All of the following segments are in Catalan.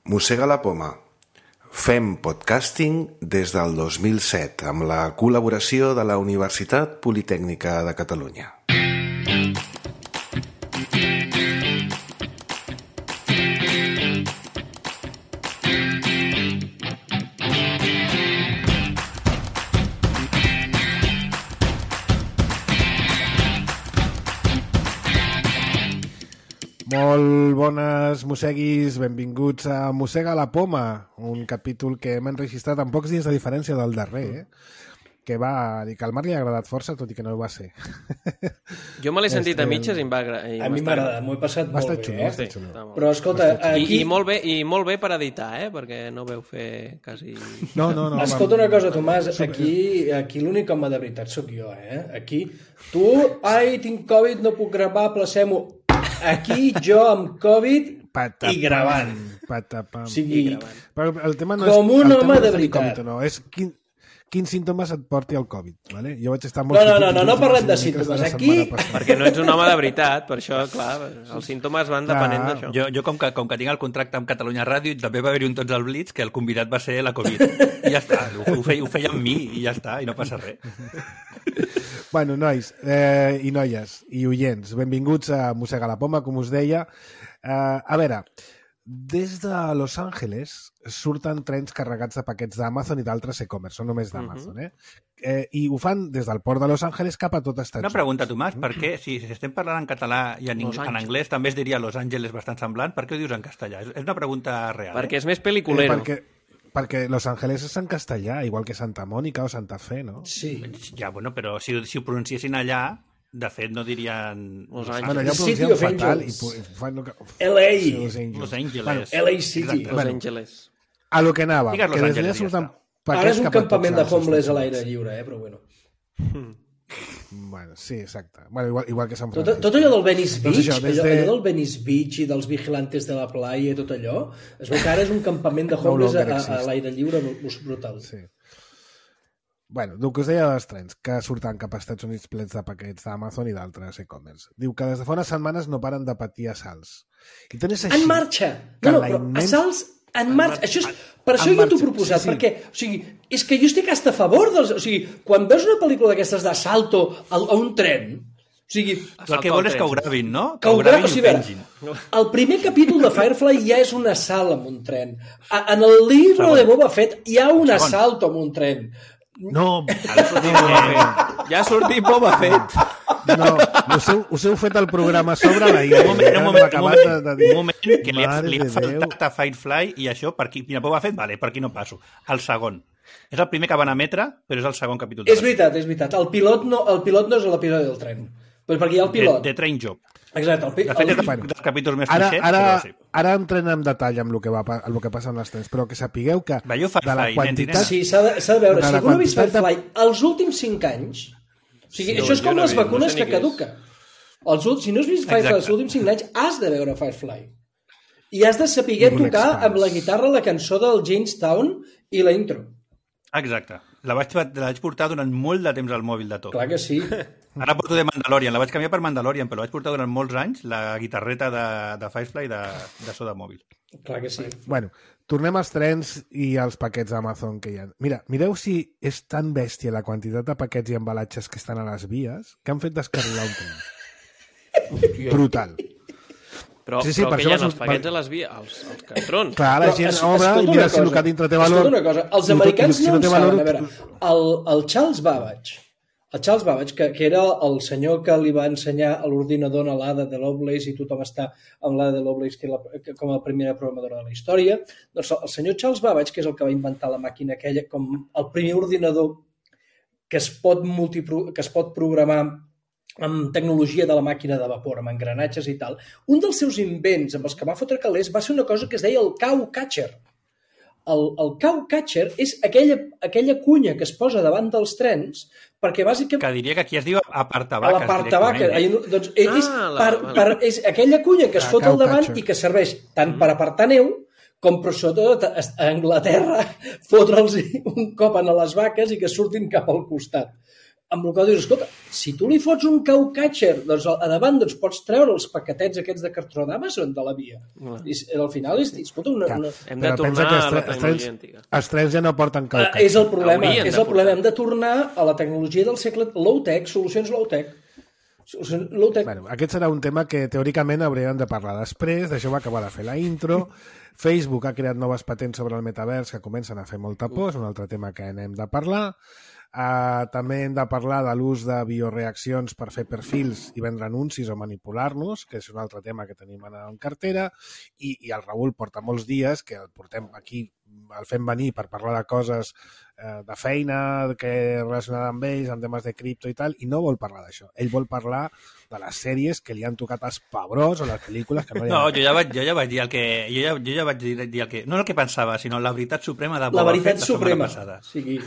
Mossega la poma. Fem podcasting des del 2007 amb la col·laboració de la Universitat Politècnica de Catalunya. Molt bones mosseguis, benvinguts a Mossega la poma, un capítol que hem enregistrat amb pocs dies de diferència del darrer, que va dir que al Marc li ha agradat força, tot i que no ho va ser. Jo me l'he sentit a mitges i em va agradar. A mi m'ha agradat, m'ho he passat molt bé. Xulo, Sí. Però escolta, aquí... I molt bé per editar, perquè no veu fer quasi... No. Escolta una cosa, Tomàs, aquí l'únic home de veritat sóc jo, Aquí, tu, tinc Covid, no puc gravar, placem-ho. Aquí jo amb Covid i gravant. Patapam. O sigui, però el tema no com és, un el home tema de no és veritat. COVID, no, és quins símptomes et porti el Covid. Vale? Jo vaig estar molt... No parlem de símptomes. Aquí... Perquè no ets un home de veritat, per això, clar, els símptomes van depenent d'això. Jo com que tinc el contracte amb Catalunya Ràdio, també va haver-hi un Tots al Blitz que el convidat va ser la Covid. I ja està, ho feia amb mi i ja està, i no passa res. Bueno, nois i noies i oients, benvinguts a Mossega la poma, com us deia. A veure, des de Los Angeles surten trens carregats de paquets d'Amazon i d'altres e-commerce, no només d'Amazon, i ho fan des del port de Los Angeles cap a tot Estats Units. Una pregunta, Tomàs, per què, si estem parlant en català i en anglès també es diria Los Angeles bastant semblant, per què ho dius en castellà? És una pregunta real. Perquè és més pel·liculero. Perquè Los Angeles és en castellà, igual que Santa Mònica o Santa Fe, no? Sí. Ja, bueno, però si ho pronunciessin allà, de fet no dirien... Los Angeles. Bueno, allà ho City pronuncien of fatal. Angels. LA. Los Angeles. LA City. Los Angeles. A lo que anava. Digues Los que Angeles, ja està. Ara és un campament de homeless a l'aire lliure, però bueno. Bueno, sí, exacte. Bueno, igual que Sant Francisco. Tot allò del Venice Beach, Doncs això, allò del Venice Beach i dels vigilantes de la playa i tot allò, es veu que ara és un campament de homeless a l'aire lliure brutal. Sí. Bueno, el que us deia dels trens, que surten cap als Estats Units plens de paquets d'Amazon i d'altres e-commerce. Diu que des de fa unes setmanes no paren de patir assalts. I tant és així... En marxa! No, però assalts en marxa. Això és, per això jo t'ho he proposat, perquè, o sigui, és que jo estic hasta a favor dels... O sigui, quan veus una pel·lícula d'aquestes d'assalto a un tren, o sigui... El que vol és que ho gravin, no? Que ho gravin, o sigui, el primer capítol de Firefly ja és un assalt amb un tren. En el llibre de Boba Fett hi ha un assalt amb un tren. No, Ja ha sortit Boba Fett. no, us heu fet el programa sobre la idea. Un moment, que li ha faltat a Firefly i això, per aquí, mira, Boba Fett, vale, per aquí no passo. El segon. És el primer que van emetre, però és el segon capítol. És veritat. El pilot no és l'episodi del tren. Perquè hi ha el pilot. The Train Job. Exacte. De fet, és dels capítols més clixés, però sí. Ara entrem en detall amb el que passa amb les trens, però que sapigueu que Veieu Firefly, de la quantitat... Sí, s'ha de veure. Si algú no ha vist Firefly, els últims 5 anys... O sigui, això és com les vacunes que caduquen. Si no has vist Firefly els últims 5 anys, has de veure Firefly. I has de saber tocar amb la guitarra la cançó del Jamestown i la intro. Exacte. La vaig portar durant molt de temps al mòbil de tot. Clar que sí. Ara porto de Mandalorian, la vaig canviar per Mandalorian, però la vaig portar durant molts anys, la guitarreta de Firefly de so de mòbil. Clar que sí. Bueno, tornem als trens i als paquets d'Amazon que hi ha. Mira, mireu si és tan bèstia la quantitat de paquets i embalatges que estan a les vies que han fet descarrilar un tren. Brutal. Però que hi ha els paquets a les vies, els cartrons. Clar, la gent obre i mira si el que dintre té valor... Escolta una cosa, els americans no en saben. A veure, el Charles Babbage, que era el senyor que li va ensenyar a l'ordinador a l'Ada de Lovelace, i tothom està amb l'Ada de Lovelace com a primera programadora de la història, doncs el senyor Charles Babbage, que és el que va inventar la màquina aquella, com el primer ordinador que es pot programar amb tecnologia de la màquina de vapor, amb engranatges i tal, un dels seus invents amb els que va fotre calés va ser una cosa que es deia el cow catcher. El cow catcher és aquella cunya que es posa davant dels trens perquè bàsicament... Que diria que aquí es diu apartavaques. L'apartavaques. Doncs és aquella cunya que es fot al davant i que serveix tant per apartar neu com per sobretot a Anglaterra fotre'ls un cop a les vaques i que surtin cap al costat. amb el qual dius, escolta, si tu li fots un cowcatcher, doncs a davant doncs, pots treure els paquetets aquests de cartró d'Amazon de la via. I al final, escolta, hem de tornar a la tecnologia antiga. Els trens ja no porten cowcatcher. És el problema, hem de tornar a la tecnologia del segle low-tech, solucions low-tech. Bueno, aquest serà un tema que teòricament hauríem de parlar després, d'això va acabar de fer la intro. Facebook ha creat noves patents sobre el metavers que comencen a fer molta por, és un altre tema que n'hem de parlar. També hem de parlar de l'ús de bioreaccions per fer perfils i vendre anuncis o manipular-nos, que és un altre tema que tenim en cartera, i el Raül porta molts dies que el portem aquí, el fem venir per parlar de coses de feina, que relacionada amb ells, amb temes de cripto i tal, i no vol parlar d'això. Ell vol parlar de les sèries que li han tocat els pebrós o les pel·lícules que no li han... No, jo ja vaig dir el que... Jo ja vaig dir el que... No el que pensava, sinó la veritat suprema de Boba Fett la setmana passada. Sí.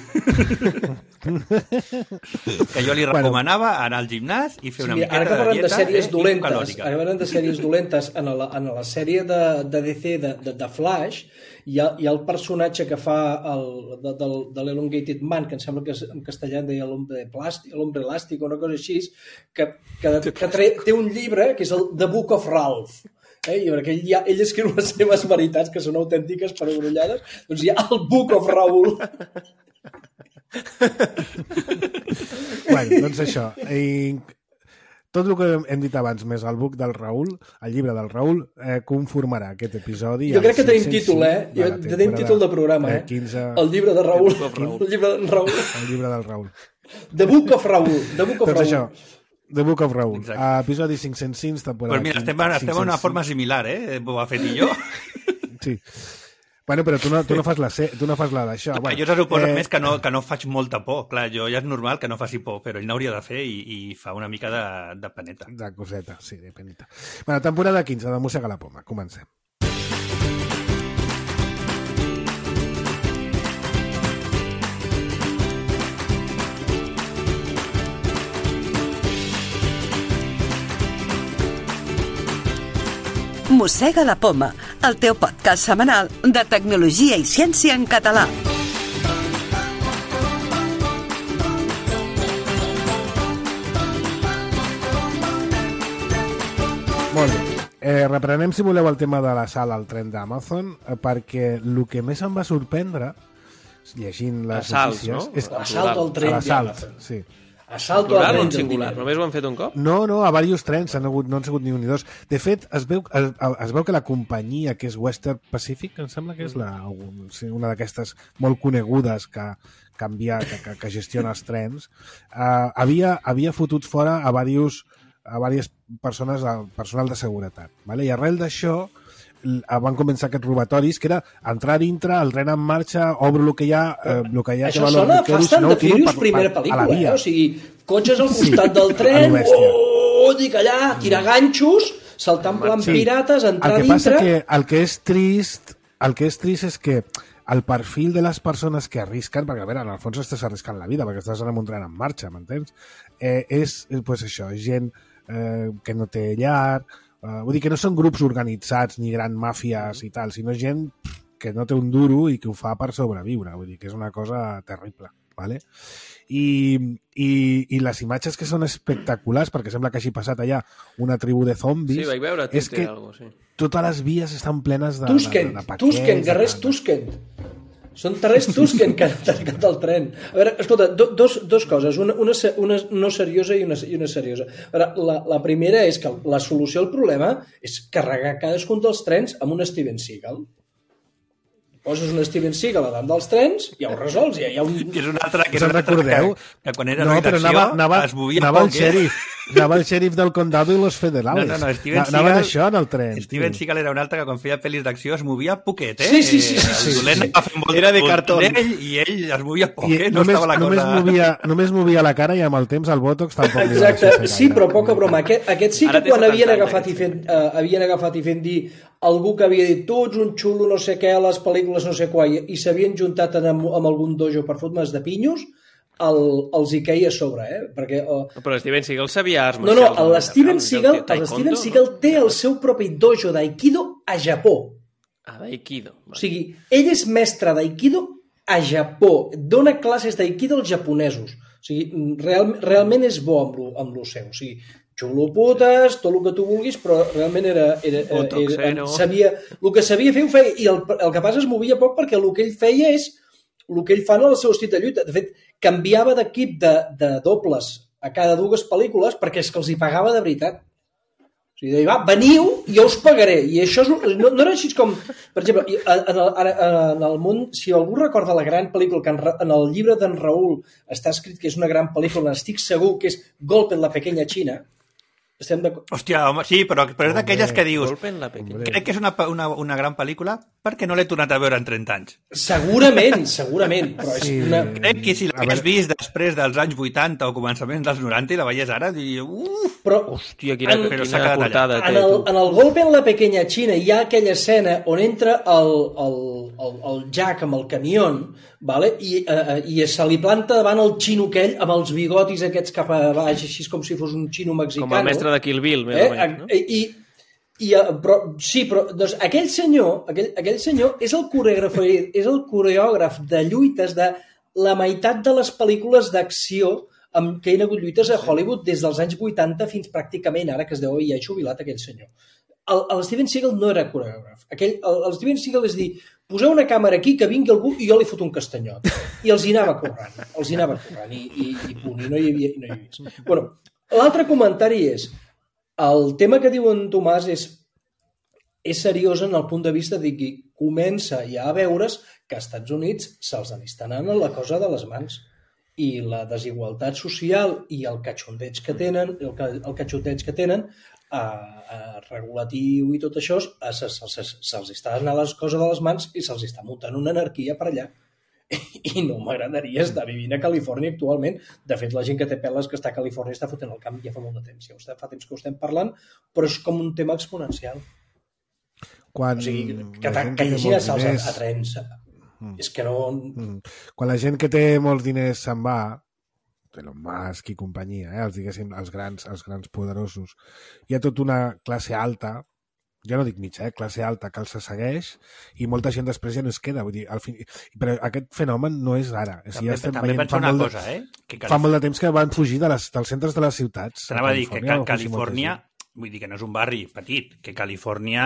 Que jo li recomanava anar al gimnàs i fer una miqueta de dieta calòrica. Ara parlem de sèries dolentes. En la sèrie de DC de Flash hi ha el personatge que fa de l'Elongated Man, que em sembla que en castellà en deia l'hombre elàstic o una cosa així, que té un llibre que és el The Book of Ralph. I perquè ell escriu les seves veritats, que són autèntiques per abrollades, doncs hi ha el Book of Raül. Bueno, doncs això. Tot el que hem dit abans, més el book del Raül, el llibre del Raül, conformarà aquest episodi. Jo crec que tenim títol, tenim títol de programa, 15... El llibre de Raül. El llibre del Raül. El llibre del Raül. The Book of Raül. Doncs això, The Book of Raül. Episodi 506, temporada... Pues mira, estem en una forma similar, Boba Fett i jo. Sí. Bueno, però tu no fas la d'això. Jo se suposa més que no faig molta por. Clar, jo ja és normal que no faci por, però ell n'hauria de fer i fa una mica de peneta. De coseta, sí, de peneta. Bueno, temporada 15 de Mossega la Poma. Comencem. Mossega la Poma, el teu podcast setmanal de tecnologia i ciència en català. Molt bé. Reprenem, si voleu, el tema de l'assalt al tren d'Amazon, perquè el que més em va sorprendre, llegint les notícies... No? És l'assalt al tren d'Amazon. Sí. Assalto al tren singular. Només ho han fet un cop? No, a diversos trens, no han sigut ni un ni dos. De fet, es veu que la companyia, que és Western Pacific, em sembla que és una d'aquestes molt conegudes que gestiona els trens, havia fotut fora a diverses persones, personal de seguretat. Vale? I arrel d'això van començar aquests robatoris, que era entrar dintre, el tren en marxa, obro el que hi ha... Això sona Fast and the Furious primera pel·lícula, O sigui, cotxes al costat del tren, dic allà, tirar ganxos, saltar en plan pirates, entrar dintre... El que passa que el que és trist és que el perfil de les persones que arrisquen, perquè a veure, en el fons estàs arriscant la vida, perquè estàs en un tren en marxa, m'entens? És pues això, gent que no té llar... vull dir que no són grups organitzats ni gran màfies i tal, sinó gent que no té un duro i que ho fa per sobreviure. Vull dir que és una cosa terrible. ¿Vale? I les imatges que són espectaculars, perquè sembla que hagi passat allà una tribu de zombis, sí, vaig veure és que totes les vies estan plenes de paquets. Tusken, guerrers Tusken. Són terrers Tusken que han tancat el tren. A veure, escolta, dos coses, una no seriosa i una seriosa. A veure, la primera és que la solució al problema és carregar cadascun dels trens amb un Steven Seagal. Poses un Steven Seagal a dalt dels trens i ja ho resols. Ja hi ha un... És una altra que quan era redacció es movia poc. Anava el xèrif del condado i los federales. No, Steven Seagal... Anaven això en el tren. Steven Seagal era un altre que quan feia pel·lis d'acció es movia poquet, Sí. El dolent va fent molt era de cartó. I ell es movia poquet, no estava la cosa... Només movia la cara i amb el temps el botox tampoc... Exacte, sí, però poca broma. Aquest sí que quan havien agafat i fent dir algú que havia dit tu ets un xulo no sé què a les pel·lícules no sé què i s'havien juntat amb algun dojo per fotre's de pinyos, els hi queia a sobre, perquè... Però Steven Seagal sabia arts marcials. No, l'Steven Seagal té el seu propi dojo d'Aikido a Japó. D'Aikido. O sigui, ell és mestre d'Aikido a Japó. Dona classes d'Aikido als japonesos. O sigui, realment és bo amb lo seu. O sigui, xulo putes, tot el que tu vulguis, però realment sabia, el que sabia fer ho feia, i el que passa es movia poc perquè el que ell feia és el que ell fa en el seu estil de lluita. De fet, canviava d'equip de dobles a cada 2 pel·lícules perquè és que els hi pagava de veritat. O sigui, deia, va, veniu i jo us pagaré. I això no era així com... Per exemple, en el món, si algú recorda la gran pel·lícula, que en el llibre d'en Raül està escrit que és una gran pel·lícula, estic segur que és Golpe en la pequeña China. Estem d'acord? Hòstia, home, sí, però és d'aquelles que dius crec que és una gran pel·lícula perquè no l'he tornat a veure en 30 anys. Segurament, però és una... Crec que si l'hagués vist després dels anys 80 o començaments dels 90 i la veies ara, diria, però, hòstia, quina portada té. En el Golpe en la pequeña China hi ha aquella escena on entra el Jack amb el camió, vale? I se li planta davant el xino aquell amb els bigotis aquests cap a baix, així com si fos un xino mexicano. Com el mestre de Kill Bill, més o menys, no? Però doncs, aquell senyor és el coreògraf de lluites de la meitat de les pel·lícules d'acció que hi ha hagut lluites a Hollywood des dels anys 80 fins pràcticament ara, que es deu haver ja jubilat aquell senyor. El Steven Seagal no era coreògraf. El Steven Seagal és dir, poseu una càmera aquí, que vingui algú i jo li foto un castanyot. I els hi anava corrent. I punt, i no hi havia més. Bueno, l'altre comentari és, el tema que diu en Tomàs és seriós en el punt de vista de que comença ja a veure's que als Estats Units se'ls està anant la cosa de les mans. I la desigualtat social i el catxondeig que tenen, regulatiu i tot això, se'ls està anant les coses de les mans i se'ls està muntant una anarquia per allà. I no m'agradaria estar vivint a Califòrnia actualment. De fet, la gent que té peles que està a Califòrnia està fotent el camp ja fa molt de temps. Ja fa temps que ho estem parlant, però és com un tema exponencial. O sigui, que hi hagi assalts a trens... És que no... Quan la gent que té molts diners se'n va, Elon Musk i companyia, els grans poderosos, hi ha tota una classe alta, ja no dic mitja, classe alta, que els segueix i molta gent després ja no es queda. Vull dir, però aquest fenomen no és ara. També penso una cosa, fa molt de temps que van fugir dels centres de les ciutats. T'anava a dir que Califòrnia... Vull dir que no és un barri petit, que Califòrnia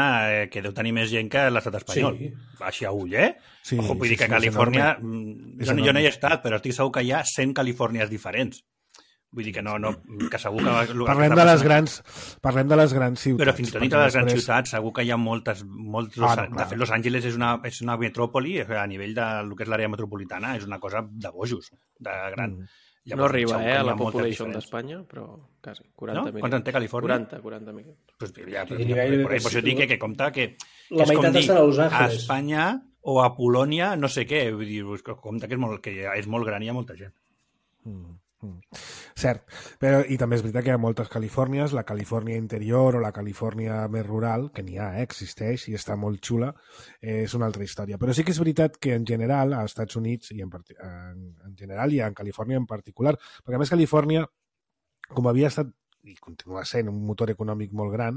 que deu tenir més gent que l'estat espanyol. Sí. Així a ull, Sí, ojo, vull dir que Califòrnia... Jo no hi he estat, però estic segur que hi ha 100 Califòrnies diferents. Vull dir que que segur que... Parlem de les grans ciutats. Però fins i tot dintre de les grans ciutats segur que hi ha molts... De fet, Los Angeles és una metròpoli, a nivell del que és l'àrea metropolitana, és una cosa de bojos, de gran... Llavors, no arriba a la population d'Espanya, però quasi, 40 milions. Quants en té Califòrnia? 40 milions. Pues ja, per això dic que compta que... La meitat estan a Los Angeles. A Espanya o a Polònia, no sé què. Vull dir, compta que és molt gran i hi ha molta gent. Cert, però i també és veritat que hi ha moltes Califòrnies, la Califòrnia interior o la Califòrnia més rural, que n'hi ha, existeix i està molt xula, és una altra història. Però sí que és veritat que en general, als Estats Units i en general i en Califòrnia en particular, perquè a més Califòrnia, com havia estat i continua sent un motor econòmic molt gran,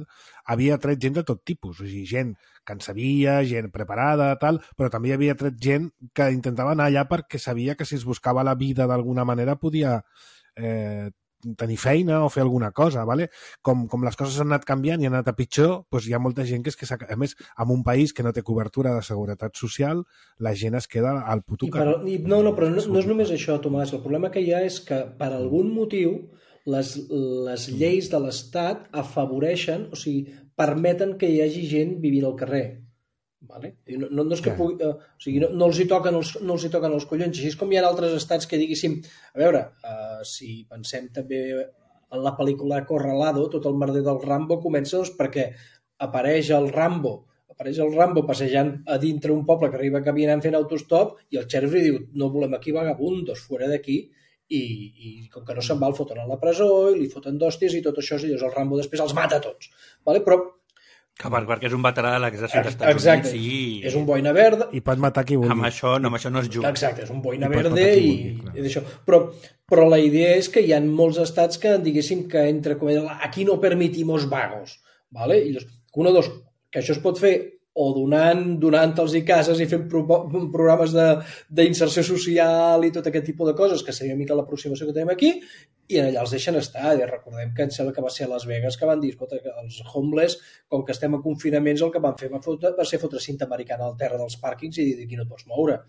havia tret gent de tot tipus, o sigui, gent que en sabia, gent preparada, tal, però també hi havia tret gent que intentava anar allà perquè sabia que si es buscava la vida d'alguna manera podia tenir feina o fer alguna cosa, ¿vale? Com les coses han anat canviant i han anat a pitjor, doncs hi ha molta gent que és que, a més, en un país que no té cobertura de seguretat social, la gent es queda al puto carrer. No, però no és només això, Tomàs. El problema que hi ha és que, per algun motiu, les lleis de l'Estat afavoreixen, o sigui, permeten que hi hagi gent vivint al carrer. Vale? No és que pugui, o sigui, no els hi toquen els collons. Així és com hi ha altres estats que diguéssim, a veure, si pensem també en la pel·lícula Acorralado, tot el merder del Rambo comença doncs, perquè apareix el Rambo passejant a dintre un poble que arriba caminant fent autostop i el xèrif li diu, no volem aquí vagabundos, fora d'aquí. I com que no se'n va el foten a la presó i li foten d'hòsties i tot això, i llavors el Rambo després els mata a tots, vale? Però perquè és un veterà de l'exèrcit dels Estats Units. Exacte, és un boina verda i pot matar qui vulgui. Amb això no es juga. Exacte, és un boina verde i d'això. Però la idea és que hi ha molts estats que diguéssim que entre com aquí no permitimos vagos, vale? I llavors, que això es pot fer o donant-los cases i fent programes d'inserció social i tot aquest tipus de coses, que seria una mica l'aproximació que tenim aquí, i allà els deixen estar. I recordem que em sembla que va ser a Las Vegas que van dir, escolta, que els homeless, com que estem a confinaments, el que van fer va ser fotre cinta americana al terra dels pàrquings i dir, aquí no et pots moure.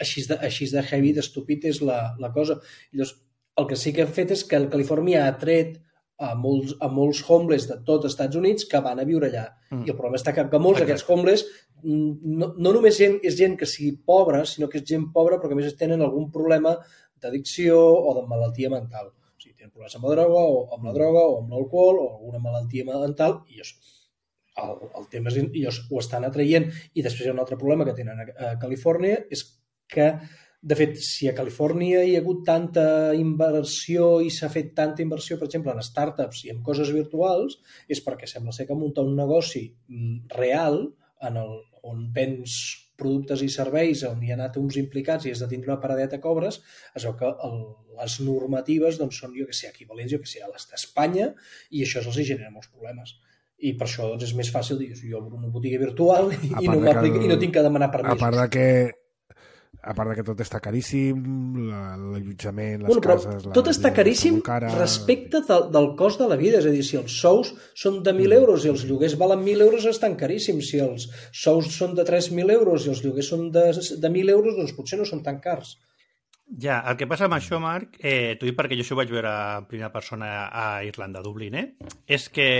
Així de heavy, d'estúpid és la cosa. Llavors, el que sí que han fet és que Califòrnia ha tret a molts homeless de tot els Estats Units que van a viure allà. I el problema està que molts d'aquests homeless no només és gent que sigui pobra, sinó que és gent pobra però que a més tenen algun problema d'addicció o de malaltia mental. O sigui, tenen problemes amb la droga o amb l'alcohol o alguna malaltia mental i el tema és i ho estan atraient. I després hi ha un altre problema que tenen a Califòrnia, és que de fet, si a Califòrnia hi ha hagut tanta inversió i s'ha fet tanta inversió, per exemple, en startups i en coses virtuals, és perquè sembla ser que muntar un negoci real on vens productes i serveis, on hi ha anat uns implicats i has de tindre una paradeta que obres, es veu que les normatives són, equivalents, a les d'Espanya, i això els genera molts problemes. I per això és més fàcil dir, jo obro una botiga virtual i no tinc que demanar permisos. A part que tot està caríssim, l'allotjament, les cases... Tot està caríssim respecte del cost de la vida. És a dir, si els sous són de 1.000 euros i els lloguers valen 1.000 euros, estan caríssims. Si els sous són de 3.000 euros i els lloguers són de 1.000 euros, doncs potser no són tan cars. Ja, el que passa amb això, Marc, t'ho dic perquè jo això ho vaig veure en primera persona a Irlanda, a Dublín, és que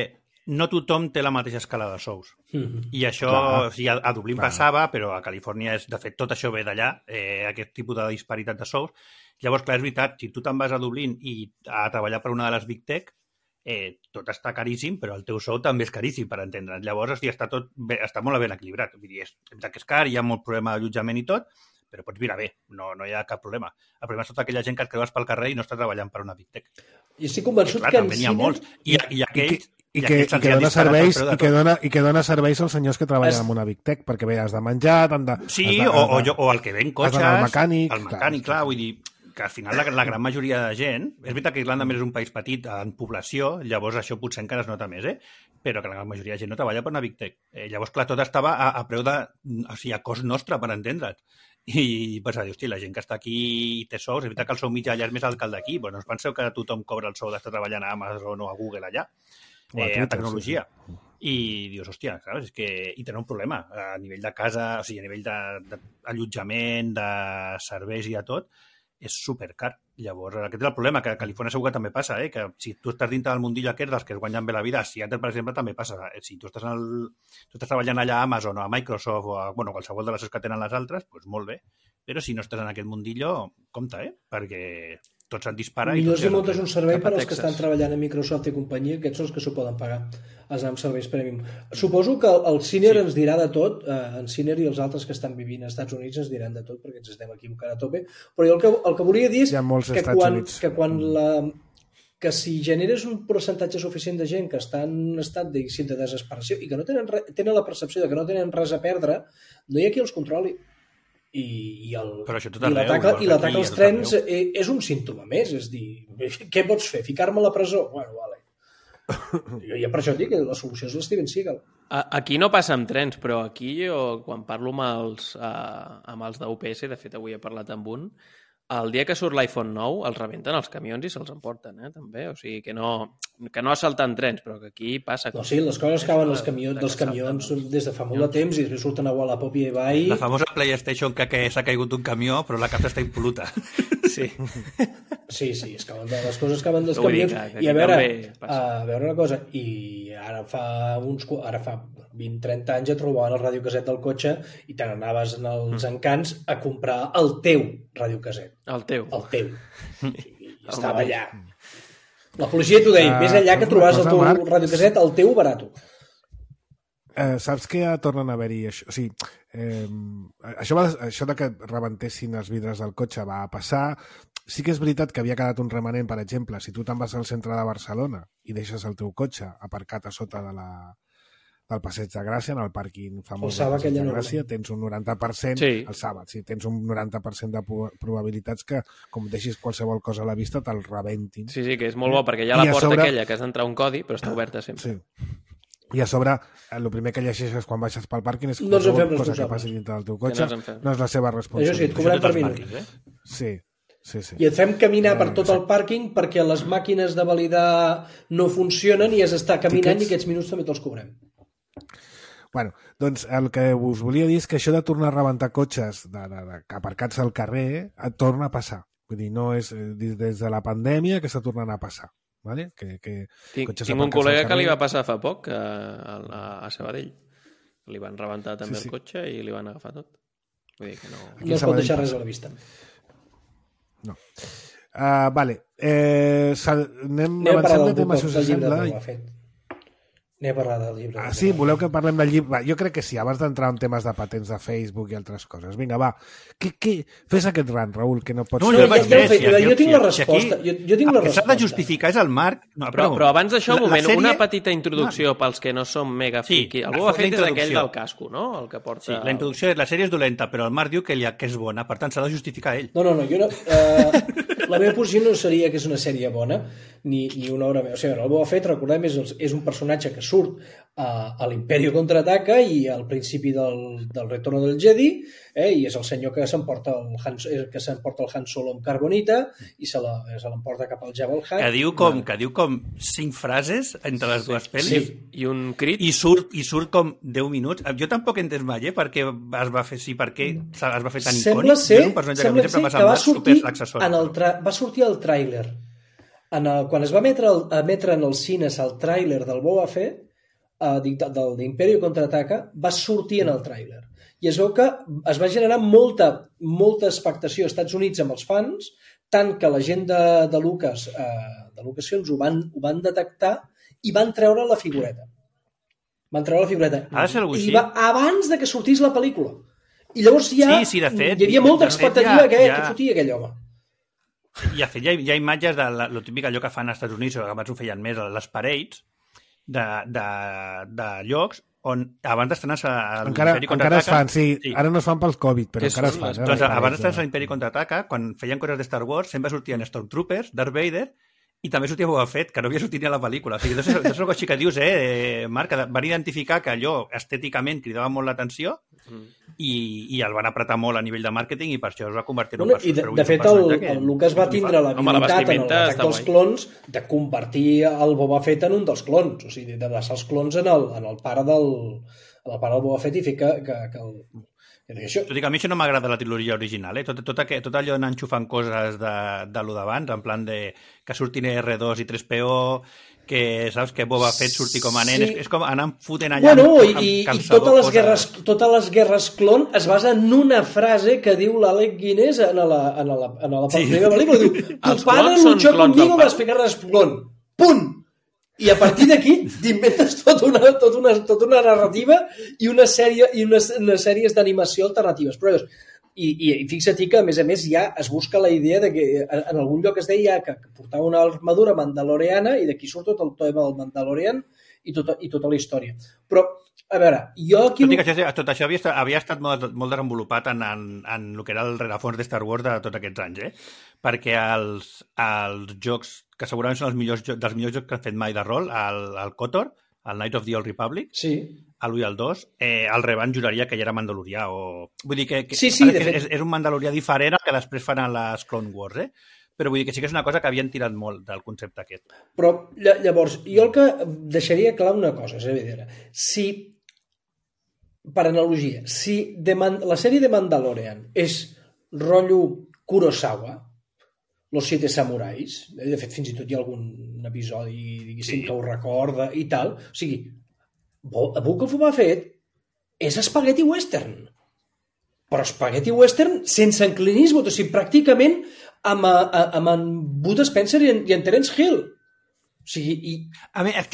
no tothom té la mateixa escala de sous. I això, a Dublín passava, però a Califòrnia, de fet, tot això ve d'allà, aquest tipus de disparitat de sous. Llavors, clar, és veritat, si tu te'n vas a Dublín i a treballar per una de les Big Tech, tot està caríssim, però el teu sou també és caríssim, per entendre'ns. Llavors, està molt ben equilibrat. Vull dir, és veritat que és car, hi ha molt problema d'allotjament i tot, però pots viure bé, no hi ha cap problema. El problema és tota aquella gent que et creues pel carrer i no està treballant per una Big Tech. I estic convençut que en n'hi ha molts. I aquells... I que dona serveis als senyors que treballen en una Big Tech, perquè bé, has de menjar... o el que ven cotxes... El mecànic... El mecànic, clar, vull dir que al final la gran majoria de gent... És veritat que Irlanda més és un país petit en població, llavors això potser encara es nota més, però que la gran majoria de gent no treballa per una Big Tech. Llavors, clar, tot estava a preu de... O sigui, a cost nostre, per entendre't. I vas a dir, hosti, la gent que està aquí i té sous, és veritat que el sou mitjà allà és més alt que el d'aquí, però no us penseu que tothom cobra el sou d'estar treballant a Amazon o a Google allà, a tecnologia. I dius, hòstia, saps? És que hi tenen un problema a nivell de casa, o sigui, a nivell d'allotjament, de serveis i de tot, és supercar. Llavors, aquest és el problema, que a Califòrnia segur que també passa, que si tu estàs dintre del mundillo aquest dels que es guanyen bé la vida, a Seattle, per exemple, també passa. Si tu estàs treballant allà a Amazon o a Microsoft o a qualsevol de les que tenen les altres, doncs molt bé. Però si no estàs en aquest mundillo, compte, perquè tot se'n dispara. Millor si muntes un servei per als que estan treballant a Microsoft i companyia, aquests són els que s'ho poden pagar, els amb serveis premium. Suposo que el Siner ens dirà de tot, en Siner i els altres que estan vivint als Estats Units ens diran de tot, perquè ens estem equivocant a tope, però jo el que volia dir és que si generes un percentatge suficient de gent que està en un estat de desesperació i que no tenen la percepció de que no tenen res a perdre, no hi ha qui els controli. I l'atac als trens és un símptoma més, és dir, què pots fer? Ficar-me a la presó? Bueno, vale. Jo per això et dic que la solució és l'Steven Seagal. Aquí no passa amb trens, però aquí jo, quan parlo amb els d'UPS, de fet avui he parlat amb un, el dia que surt l'iPhone 9 els rebenten els camions i se'ls emporten, també. O sigui, que no assalten trens, però que aquí passa... No, sí, les coses cauen dels camions des de fa molt de temps i després surten a Wallapop i eBay... La famosa PlayStation que s'ha caigut d'un camió, però la capsa està impol·luta. Sí. Sí, les coses cauen dels camions. I a veure una cosa, i ara fa 20-30 anys et trobaven el radiocasset del cotxe i te n'anaves als encants a comprar el teu radiocasset. El teu. I estava allà. La policia t'ho deia, més enllà que trobaves el teu radiocasset, el teu barato. Saps que ja tornen a haver-hi això? O sigui, això de que rebentessin els vidres del cotxe va passar. Sí que és veritat que havia quedat un remanent, per exemple, si tu te'n vas al centre de Barcelona i deixes el teu cotxe aparcat a sota del Passeig de Gràcia, en el pàrquing famós del Passeig de Gràcia, tens un 90%, el sàbat, sí, tens un 90% de probabilitats que, com deixis qualsevol cosa a la vista, te'l rebentin. Sí, que és molt bo, perquè hi ha la porta aquella que has d'entrar un codi, però està oberta sempre. Sí. I a sobre, el primer que llegeixes quan baixes pel pàrquing és no ens en fem cosa que responsables. passi dintre del teu cotxe, no és la seva Això sí, responsabilitat. et cobrem per minut. Sí. I et fem caminar per tot el pàrquing perquè les màquines de validar no funcionen i has d'estar caminant i aquests minuts també te'ls cobrem. Bueno, doncs el que us volia dir és que això de tornar a rebentar cotxes aparcats al carrer et torna a passar. Vull dir, no és des de la pandèmia que està tornant a passar. Vale? Tinc un col·lega que li va passar fa poc a Sabadell. Li van rebentar també el cotxe i li van agafar tot. Vull dir que no... No es pot deixar res a la vista. No. Vale. Anem avançant de tema, si us sembla. Anem a parlar del llibre. Sí, voleu que parlem del llibre? Va, jo crec que sí, abans d'entrar en temes de patents de Facebook i altres coses. Vinga, va. Fes aquest rant, Raül, que no pots... No, jo tinc la resposta. Jo tinc la resposta. El que s'ha de justificar és el Marc... Però abans d'això, un moment, una petita introducció pels que no som mega friki. El Boba Fett és aquell del casco, no? El que porta... Sí, la introducció és la sèrie és dolenta, però el Marc diu que és bona, per tant s'ha de justificar ell. No, jo no... La meva posició no seria que és una sèrie bona, ni una obra meva. O sigui, el Boba Fett, recordem, és un personatge que surt a l'Imperio Contraataca i al principi del Retorno del Jedi, i és el senyor que s'emporta el Han Solo amb carbonita i se l'emporta cap al Jabba el Hutt. Que diu com 5 frases entre les dues pel·lis i un crit i surt com 10 minuts. Jo tampoc he entès mai per què es va fer per què es va fer tan icònic. Sembla ser que va sortir al tràiler. Quan es va emetre en els cines el tràiler del Boba Fett, del d'Imperio Contraataca, va sortir en el tràiler. I es veu que es va generar molta expectació als Estats Units amb els fans, tant que la gent de Lucasfilms ho van detectar i van treure la figureta. Ha de ser algú així. Abans de que sortís la pel·lícula. I llavors hi havia molta expectativa que fotia aquell home. I de fet hi ha imatges de lo típic allò que fan als Estats Units, o que abans ho feien més, les parades de llocs on abans d'estrenar-se l'Imperi Contraataca... Encara es fan, sí. Ara no es fan pels Covid, però encara es fan. Doncs abans d'estrenar-se l'Imperi Contraataca, quan feien coses de Star Wars, sempre sortien Stormtroopers, Darth Vader, i també sortia Boba Fett, que no havia sortit ni a la pel·lícula. O sigui, és una cosa així que dius, Marc, que van identificar que allò estèticament cridava molt l'atenció i el van apretar molt a nivell de màrqueting i per això es va convertir en un personatge. De fet, el Lucas va tindre l'habilitat en l'atac dels clons de convertir el Boba Fett en un dels clons, o sigui, de deixar els clons en el pare del Boba Fett i fer que el... Tot i que a mi això no m'agrada la trilogia original, tot allò d'anar enxufant coses de lo d'abans, en plan de que surtin R2 i 3PO, que saps que Boba Fett surti com a nen, és com anar fotent allà i totes les guerres clon es basen en una frase que diu l'Alec Guinness en la primera pel·lícula, diu, tu padre luchó conmigo para explicar-les clon, punt! I a partir d'aquí t'inventes tota una narrativa i unes sèries d'animació alternatives. Però, i fixa-t'hi que, a més, ja es busca la idea de que en algun lloc es deia que portava una armadura mandaloriana i d'aquí surt tot el tema del Mandalorian i tota la història. Però, a veure, jo aquí... Tot això havia estat molt desenvolupat en el que era el rerefons de Star Wars de tots aquests anys, perquè els jocs que segurament són dels millors jocs que han fet mai de rol, el KOTOR, el Knights of the Old Republic, l'1 i el 2, el Revan juraria que ja era mandalorià. Vull dir que és un mandalorià diferent al que després fan a les Clone Wars, però vull dir que sí que és una cosa que havien tirat molt del concepte aquest. Però llavors, jo el que deixaria clar una cosa, és a dir, si, per analogia, si la sèrie de Mandalorian és rotllo Kurosawa, Los Siete Samurais, de fet fins i tot hi ha algun episodi, diguéssim, que ho recorda i tal, o sigui, Book of Boba Fett és espagueti western, però espagueti western sense en Clint Eastwood, o sigui, pràcticament amb en Bud Spencer i en Terence Hill. O sigui,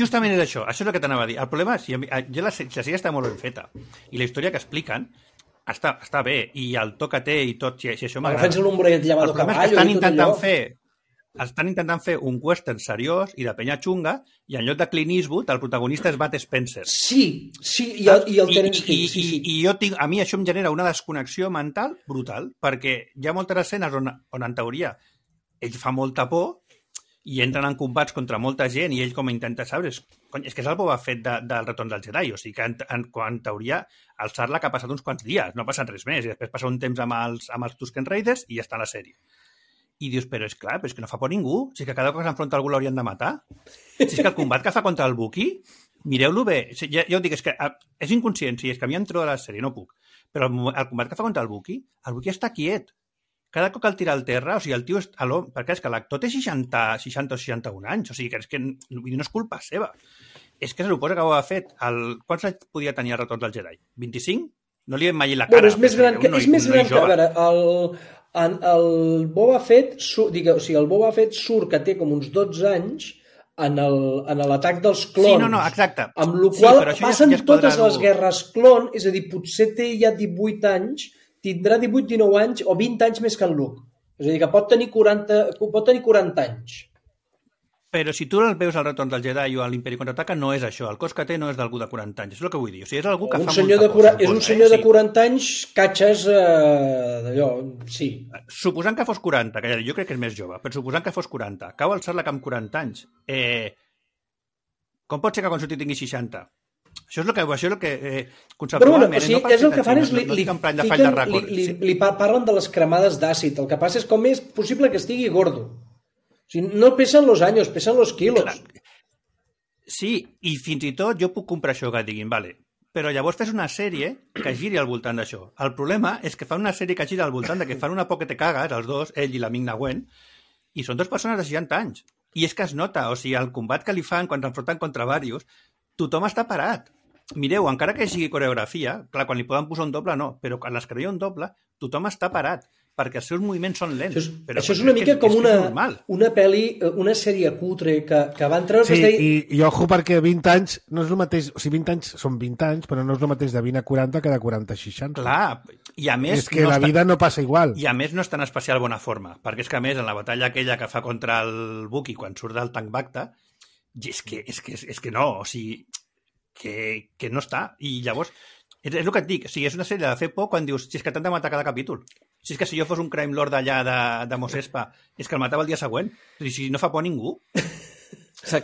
justament és això és el que t'anava a dir. El problema és que la sèrie està molt ben feta i la història que expliquen està bé, i el to que té i tot, si això m'agrada. Agafant el nombre llamado caballo i tot allò. Estan intentant fer un western seriós i de penya xunga, i en lloc de Clint Eastwood, el protagonista és Bud Spencer. Sí, i el Terence Hill. I a mi això em genera una desconnexió mental brutal, perquè hi ha moltes escenes on en teoria ell fa molta por, i entren en combats contra molta gent i ell com intenta saber, és que és el Boba Fett del Retorn del Jedi, o sigui que en teoria el Sarlacc ha passat uns quants dies, no ha passat res més, i després passa un temps amb els Tusken Raiders i ja està a la sèrie. I dius, però és clar, però és que no fa por ningú, si és que cada cop que s'enfronta algú l'haurien de matar, si és que el combat que fa contra el Wookiee, mireu-lo bé, ja ho dic, és que és inconscient, si és que a mi em trobo de la sèrie, no puc, però el combat que fa contra el Wookiee està quiet. Cada cop que el tira al terra, o sigui, el tio és a l'home, perquè és que l'actor té 60 o 61 anys, o sigui, que és que no és culpa seva. És que se suposa que ho ha fet. Quants anys podia tenir el Retorn del Jedi? 25? No li hem mai la cara. Bueno, és més gran que... A veure, el Boba Fett, o sigui, el Boba Fett surt que té com uns 12 anys en l'atac dels clons. Sí, no, exacte. Amb la qual passen totes les guerres clon, és a dir, potser té ja 18 anys, tindrà 18-19 anys o 20 anys més que en Luke. És a dir, que pot tenir 40 anys. Però si tu el veus al Retorn del Jedi o a l'Imperi Contraataca, no és això. El cos que té no és d'algú de 40 anys. És el que vull dir. O sigui, és algú que fa molta cosa. És un senyor de 40 anys, catxes d'allò, sí. Suposant que fos 40, que jo crec que és més jove, però suposant que fos 40, cau el Sarlacc amb 40 anys. Com pot ser que quan surti tingui 60? Això és el que conceptualment... Però, o sigui, és el que fan és li parlen de les cremades d'àcid. El que passa és com és possible que estigui gordo. O sigui, no pesen los anys, pesen los quilos. Clar. Sí, i fins i tot jo puc comprar això que diguin, vale, però llavors fes una sèrie que giri al voltant d'això. El problema és que fan una sèrie que gira al voltant de que fan una por que te cagues, els dos, ell i l'amic Nagüen, i són dues persones de 60 anys. I és que es nota, o sigui, el combat que li fan quan s'enfronten contra varios, tothom està parat. Mireu, encara que sigui coreografia, clar, quan li poden posar un doble no, però quan les creia un doble, tothom està parat, perquè els seus moviments són lents. Això és una mica com una pel·li, una sèrie cutre que van treure... Sí, i ojo perquè 20 anys no és el mateix... O sigui, 20 anys són 20 anys, però no és el mateix de 20 a 40 que de 40 a 60. Clar, i a més... És que la vida no passa igual. I a més no està en especial bona forma, perquè és que a més en la batalla aquella que fa contra el Wookiee quan surt del Tank Bacta, és que no, o sigui... que no està, i llavors és el que et dic, o sigui, és una sèrie de fer por quan dius, si és que t'han de matar cada capítol, si és que si jo fos un crime lord d'allà de Mos Espa, és que el matava el dia següent, o sigui, si no fa por ningú.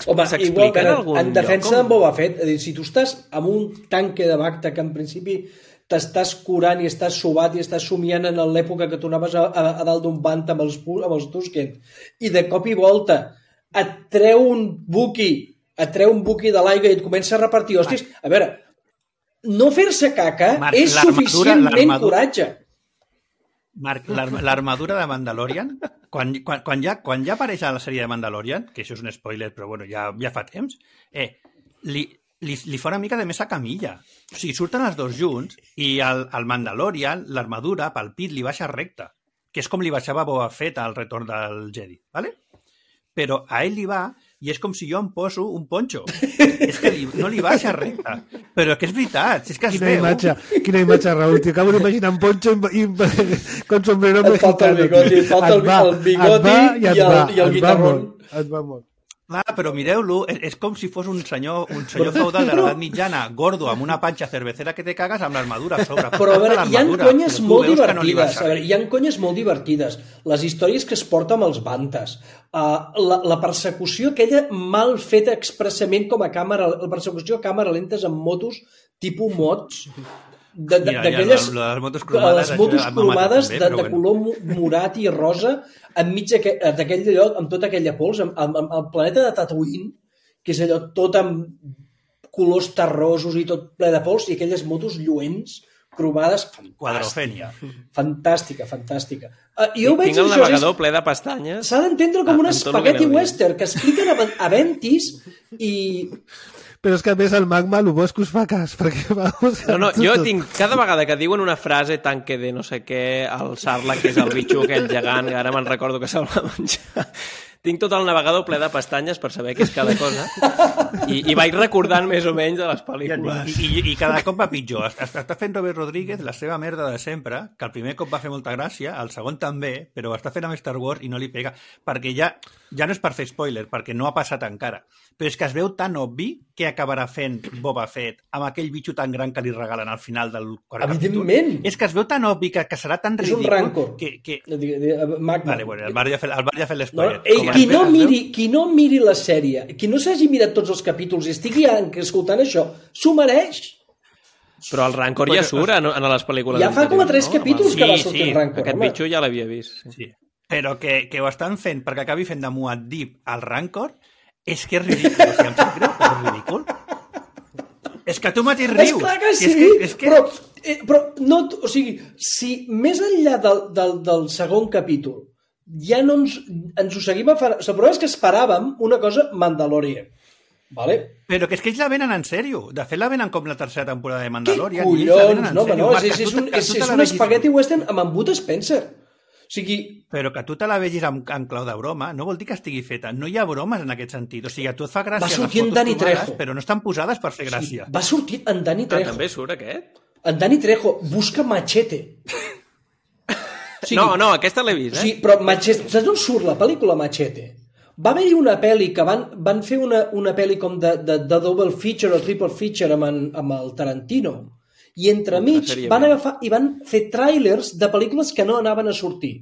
Home, igual, en defensa d'en Boba Fett, si tu estàs amb un tanque de Bacta que en principi t'estàs curant i estàs sobat i estàs somiant en l'època que tu anaves a dalt d'un bant amb els Tusken, i de cop i volta et treu un Wookiee de l'aigua i et comença a repartir hòsties. A veure, no fer-se caca és suficientment coratge. Marc, l'armadura de Mandalorian, quan ja apareix a la sèrie de Mandalorian, que això és un spoiler, però bueno, ja fa temps, li fa una mica de més a camilla. O sigui, surten els dos junts i al Mandalorian l'armadura pel pit li baixa recta, que és com li baixava Boba Fett al Retorn del Jedi, ¿vale? Però a ell li va i és com si jo em poso un ponxo. És que no li baixa recta. Però que és veritat, és que es veu. Quina imatge, Raül. T'ho acabo d'imaginar un ponxo con sombrero mexicano. Et falta el bigoti i el guitarrón. Et va molt. Clar, però mireu-lo, és com si fos un senyor feudal de l'edat mitjana, gordo, amb una panxa cervecera que te cagues amb l'armadura a sobre. Però a veure, hi ha conyes molt divertides. Hi ha conyes molt divertides. Les històries que es porten amb els bantes. La persecució aquella mal feta expressament com a càmera, la persecució a càmera lentes amb motos tipus mods, d'aquelles les motos cromades de color morat i rosa enmig d'aquell lloc, amb tota aquella pols, amb el planeta de Tatooine, que és allò tot amb colors terrosos i tot ple de pols, i aquelles motos lluents cromades, fantàstica. Tinc el navegador ple de pestanyes. S'ha d'entendre com un espagueti western que expliquen a Ventis i... Però és que a més el magma el bo és que us fa cas, perquè vamos... No, jo tinc, cada vegada que diuen una frase tanque de no sé què, el Sarlacc, que és el bitxo aquell gegant, que ara me'n recordo que se'l va menjar, tinc tot el navegador ple de pestanyes per saber què és cada cosa, i vaig recordant més o menys de les pel·lícules. I cada cop va pitjor. Està fent Robert Rodríguez la seva merda de sempre, que el primer cop va fer molta gràcia, el segon també, però està fent amb Star Wars i no li pega, perquè ja no és per fer spoiler, perquè no ha passat encara, però és que es veu tan obvi que acabarà fent Boba Fett amb aquell bitxo tan gran que li regalen al final del quart capítol. Evidentment! És que es veu tan obvi que serà tan ridícul... És un rancor. Vale, bueno, el Marc ja ha fet l'espoiler. No, qui no miri la sèrie, qui no s'hagi mirat tots els capítols i estigui escoltant això, s'ho mereix. Però el Rancor ja surt en les pel·lícules. Ja fa com a 3 capítols que va sortir el Rancor. Aquest bitxo ja l'havia vist. Sí. Però que ho estan fent perquè acabi fent de Muad'Dib al Rancor és que és ridícul. O sigui, em sap greu, però és ridícul. És que tu mateix rius. És clar que sí, és que... però no, o sigui, si més enllà del segon capítol ja no ens ho seguim agafant... El problema és que esperàvem una cosa Mandalorian. Vale? Però que és que ells la venen en sèrio. De fet, la venen com la tercera temporada de Mandalorian. Què collons? No, és un spaghetti western amb en Bud Spencer. O sigui... Però que tu te la vegis en clau de broma no vol dir que estigui feta. No hi ha bromes en aquest sentit. O sigui, a tu et fa gràcia les fotos trobades, però no estan posades per fer gràcia. Va sortir en Danny Trejo. També surt aquest? En Danny Trejo busca Machete. O sigui, no, aquesta l'he vist, Sí, però Machete... Saps on surt la pel·lícula Machete? Va haver-hi una pel·li que van fer una pel·li com de double feature o triple feature amb el Tarantino. I entremig van agafar i van fer tràilers de pel·lícules que no anaven a sortir.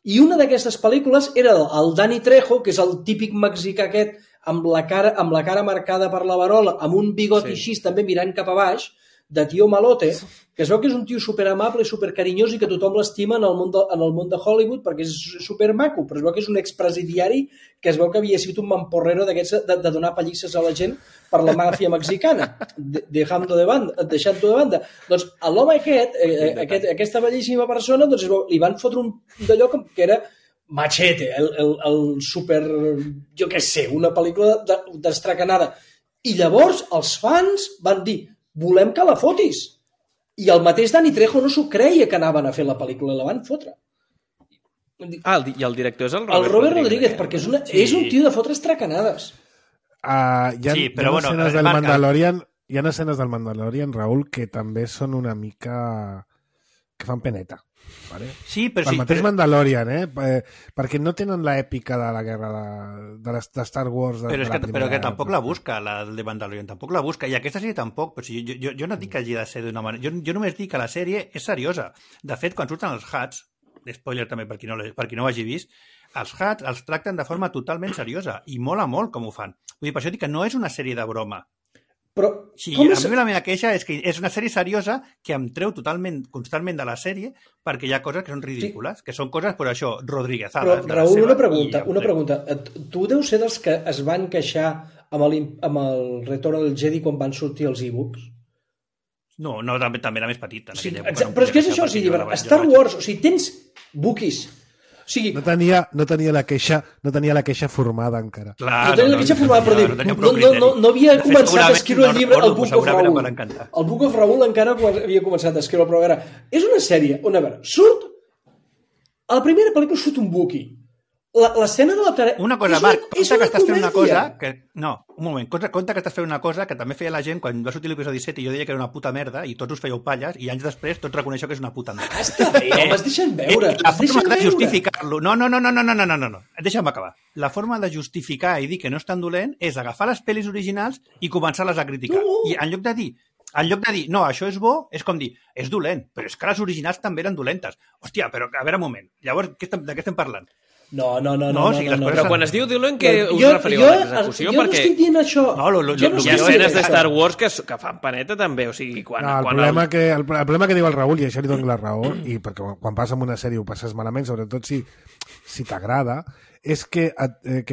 I una d'aquestes pel·lícules era el Danny Trejo, que és el típic mexicà aquest amb la cara marcada per la verola, amb un bigot així també mirant cap a baix, de tio malote, que es veu que és un tio superamable i supercarinyós i que tothom l'estima en el món de Hollywood perquè és supermaco, però es veu que és un expresidiari que es veu que havia sigut un mamporrero d'aquests de donar pallisses a la gent per la màfia mexicana, deixant-ho de banda. Doncs l'home aquesta bellíssima persona, doncs li van fotre un d'allò que era Machete, el super, jo què sé, una pel·lícula destracanada. I llavors els fans van dir volem que la fotis. I el mateix Danny Trejo no s'ho creia que anaven a fer la pel·lícula i la van fotre. I el director és el Robert Rodríguez, perquè és un tio de fotre estracanades. Hi ha escenes del Mandalorian, Raül, que també són una mica... que fan peneta. Vale? Sí, però el mateix Mandalorian, perquè no tenen l'èpica de la guerra de Star Wars però que tampoc la busca, la de Mandalorian tampoc la busca, i aquesta sèrie tampoc, però si jo no dic que hagi de ser d'una manera, jo només dic que la sèrie és seriosa. De fet, quan surten els Huts, spoiler també per qui no ho hagi vist, els Huts els tracten de forma totalment seriosa i mola molt com ho fan. Vull dir, per això dic que no és una sèrie de broma. Però, sí, a mi la meva queixa és que és una sèrie seriosa que em treu constantment de la sèrie perquè hi ha coses que són ridícules, que són coses, per això, rodriguezades. Però, Raül, una pregunta. Tu deus ser dels que es van queixar amb el Retorn del Jedi quan van sortir els e-books? No, també era més petit. Però és que és això, Star Wars, o sigui, tens bookies. O sigui, no tenia la queixa formada encara. Clar, no tenia la queixa formada, però no havia començat a escriure el llibre, el Book of Raül. El Book of Raül encara havia començat a escriure, però a veure, és una sèrie on, a veure, a la primera pel·lícula surt un Wookiee. L'escena de la tarea... Una cosa, Marc, compte que estàs fent una cosa... No, un moment, compte que estàs fent una cosa que també feia la gent quan va sortir l'episodi 7 i jo deia que era una puta merda i tots us fèieu palles i anys després tots reconeixeu que és una puta merda. Està bé, home, es deixen veure. La forma de justificar-lo... No. Deixa'm acabar. La forma de justificar i dir que no és tan dolent és agafar les pel·lis originals i començar-les a criticar. I en lloc de dir, no, això és bo, és com dir, és dolent, però és que les originals també eren dolentes. Hòstia, però a veure un moment, llavors de què estem parlant? No. Però quan es diu dolent, què us referiu a l'execució? Jo no estic dient això. Hi ha escenes de Star Wars que fan paneta també, o sigui... El problema que diu el Raül, i això li dono la raó, i perquè quan passes en una sèrie ho passes malament, sobretot si t'agrada, és que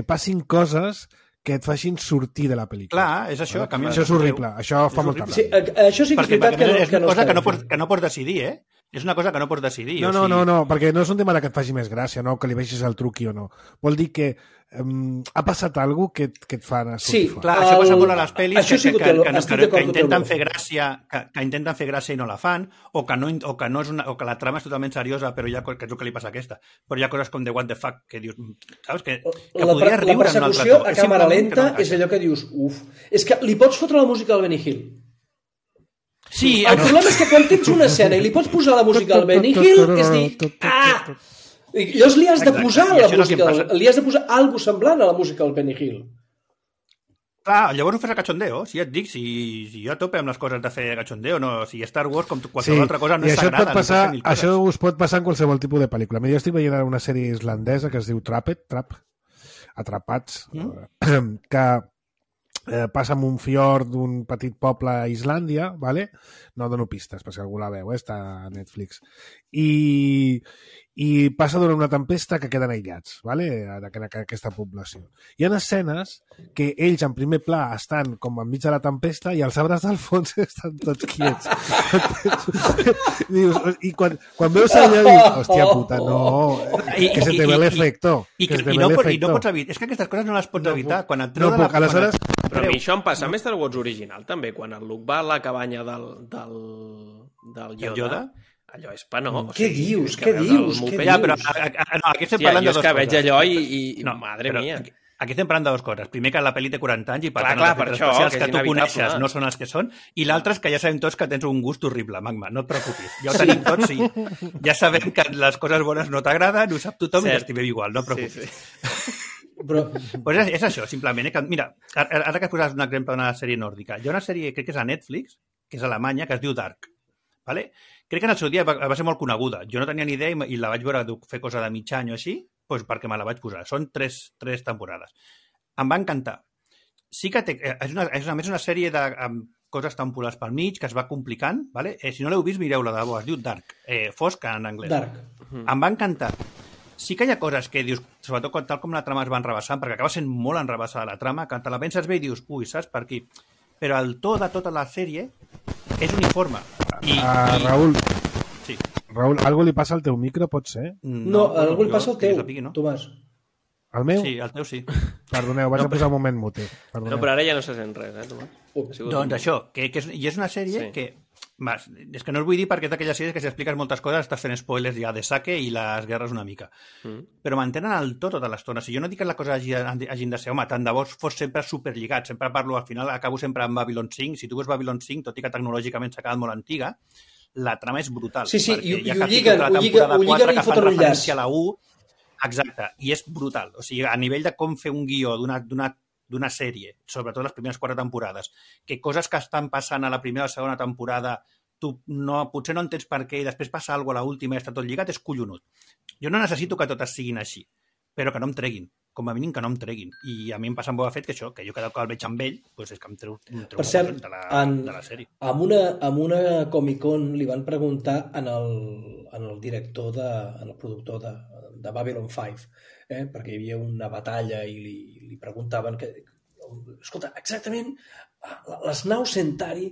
passin coses que et facin sortir de la pel·lícula. Clar, és això. Això és horrible, això fa molta ràbia. Sí, això sí que és veritat que no és cosa que no pots decidir, És una cosa que no pots decidir. No, perquè no és un tema que et faci més gràcia, no, que li vegis el truqui o no. Vol dir que ha passat alguna cosa que et fa anar sortir fora. Clar, això passa molt a les pel·lis que intenten fer gràcia i no la fan, o que la trama és totalment seriosa, però que és el que li passa a aquesta. Però hi ha coses com de what the fuck, que dius, saps? Que podries riure en un altre to. La persecució a càmera lenta és allò que dius, és que li pots fotre la música al Benny Hill. Sí, el problema és que quan tens una escena i li pots posar la música al Benny Hill, és dir, llavors li has de posar la música, li has de posar alguna cosa semblant a la música del Benny Hill. Clar, llavors ho fes a cachondeo, si ja et dic, si jo a tope amb les coses de fer cachondeo, no, si Star Wars, com qualsevol altra cosa, no és sagrada. Això us pot passar en qualsevol tipus de pel·lícula. Jo estic veient una sèrie islandesa que es diu Trap, Atrapats, que passa en un fiord d'un petit poble a Islàndia, ¿vale? No dono pistes, per si algú la veu, està a Netflix. I passa durant una tempesta que queden aïllats, ¿vale? En aquesta població. Hi ha escenes que ells en primer pla estan com enmig de la tempesta i els arbres del fons estan tots quiets. I quan veus allà dius, hòstia puta, no, que se te ve l'efecte. I no pots evitar, és que aquestes coses no les pots evitar. Quan et no puc, aleshores... Però a mi això em passa amb Star Wars original també, quan el Luke va a la cabanya del Yoda. Allò és penós. Què dius? Què dius? Ja, però aquí estem parlant de dues coses. Jo és que veig allò i madre mia. Aquí estem parlant de dues coses. Primer, que la pel·li té 40 anys i per tant els efectes especials que tu coneixes no són els que són, i l'altre és que ja sabem tots que tens un gust horrible, Magma, no et preocupis. Ja ho tenim tots i ja sabem que les coses bones no t'agraden, ho sap tothom i t'estimem igual, no et preocupis. Però pues és això, simplement. Mira, ara que poses un exemple d'una sèrie nòrdica, hi ha una sèrie, crec que és a Netflix, que és alemanya, que es diu Dark. Vale? Crec que en el seu dia va ser molt coneguda. Jo no tenia ni idea i la vaig veure fer cosa de mig any o així, doncs perquè me la vaig posar. Són tres temporades. Em va encantar. Sí que és a més una sèrie de coses temporals pel mig, que es va complicant. Vale? Si no l'heu vist, mireu-la de bo. Es diu Dark. Fosc en anglès. Dark. Em va encantar. Sí que hi ha coses que dius, sobretot tal com la trama es va enrebaçant, perquè acaba sent molt enrebaçada la trama, que te la penses bé i dius, ui, saps per aquí? Però el to de tota la sèrie és uniforme. Raül, sí. Raül, algo li passa al teu micro, pot ser? No, algo li passa al teu, no? Tomàs. El meu? Sí, el teu sí. Perdoneu, vaig a posar un moment mute. No, però ara ja no se sent res, Tomàs? Doncs això, que és una sèrie que... És que no us vull dir perquè és d'aquelles sèries que si expliques moltes coses estàs fent spoilers ja de saque i les guerres una mica. Però mantenen el to tota l'estona. Si jo no dic que la cosa hagin de ser, home, tant de bo fos sempre superlligat. Sempre parlo, al final acabo sempre amb Babylon 5. Si tu veus Babylon 5, tot i que tecnològicament s'ha quedat molt antiga, la trama és brutal. Sí, i ho lliguen i foten un llaç. A la 1, exacte, i és brutal. O sigui, a nivell de com fer un guió d'una sèrie, sobretot les primeres 4 temporades, que coses que estan passant a la primera o segona temporada tu potser no entens per què i després passa alguna cosa a l'última i està tot lligat, és collonut. Jo no necessito que totes siguin així, però que no em treguin. Com a mínim que no em treguin. I a mi em passa amb Boba Fett que això, que jo cada cop el veig amb ell, doncs és que em treu per cert, de la sèrie. Amb una Comic-Con li van preguntar en el director, en el productor de Babylon 5, perquè hi havia una batalla i li preguntaven que, escolta, exactament les naus Centauri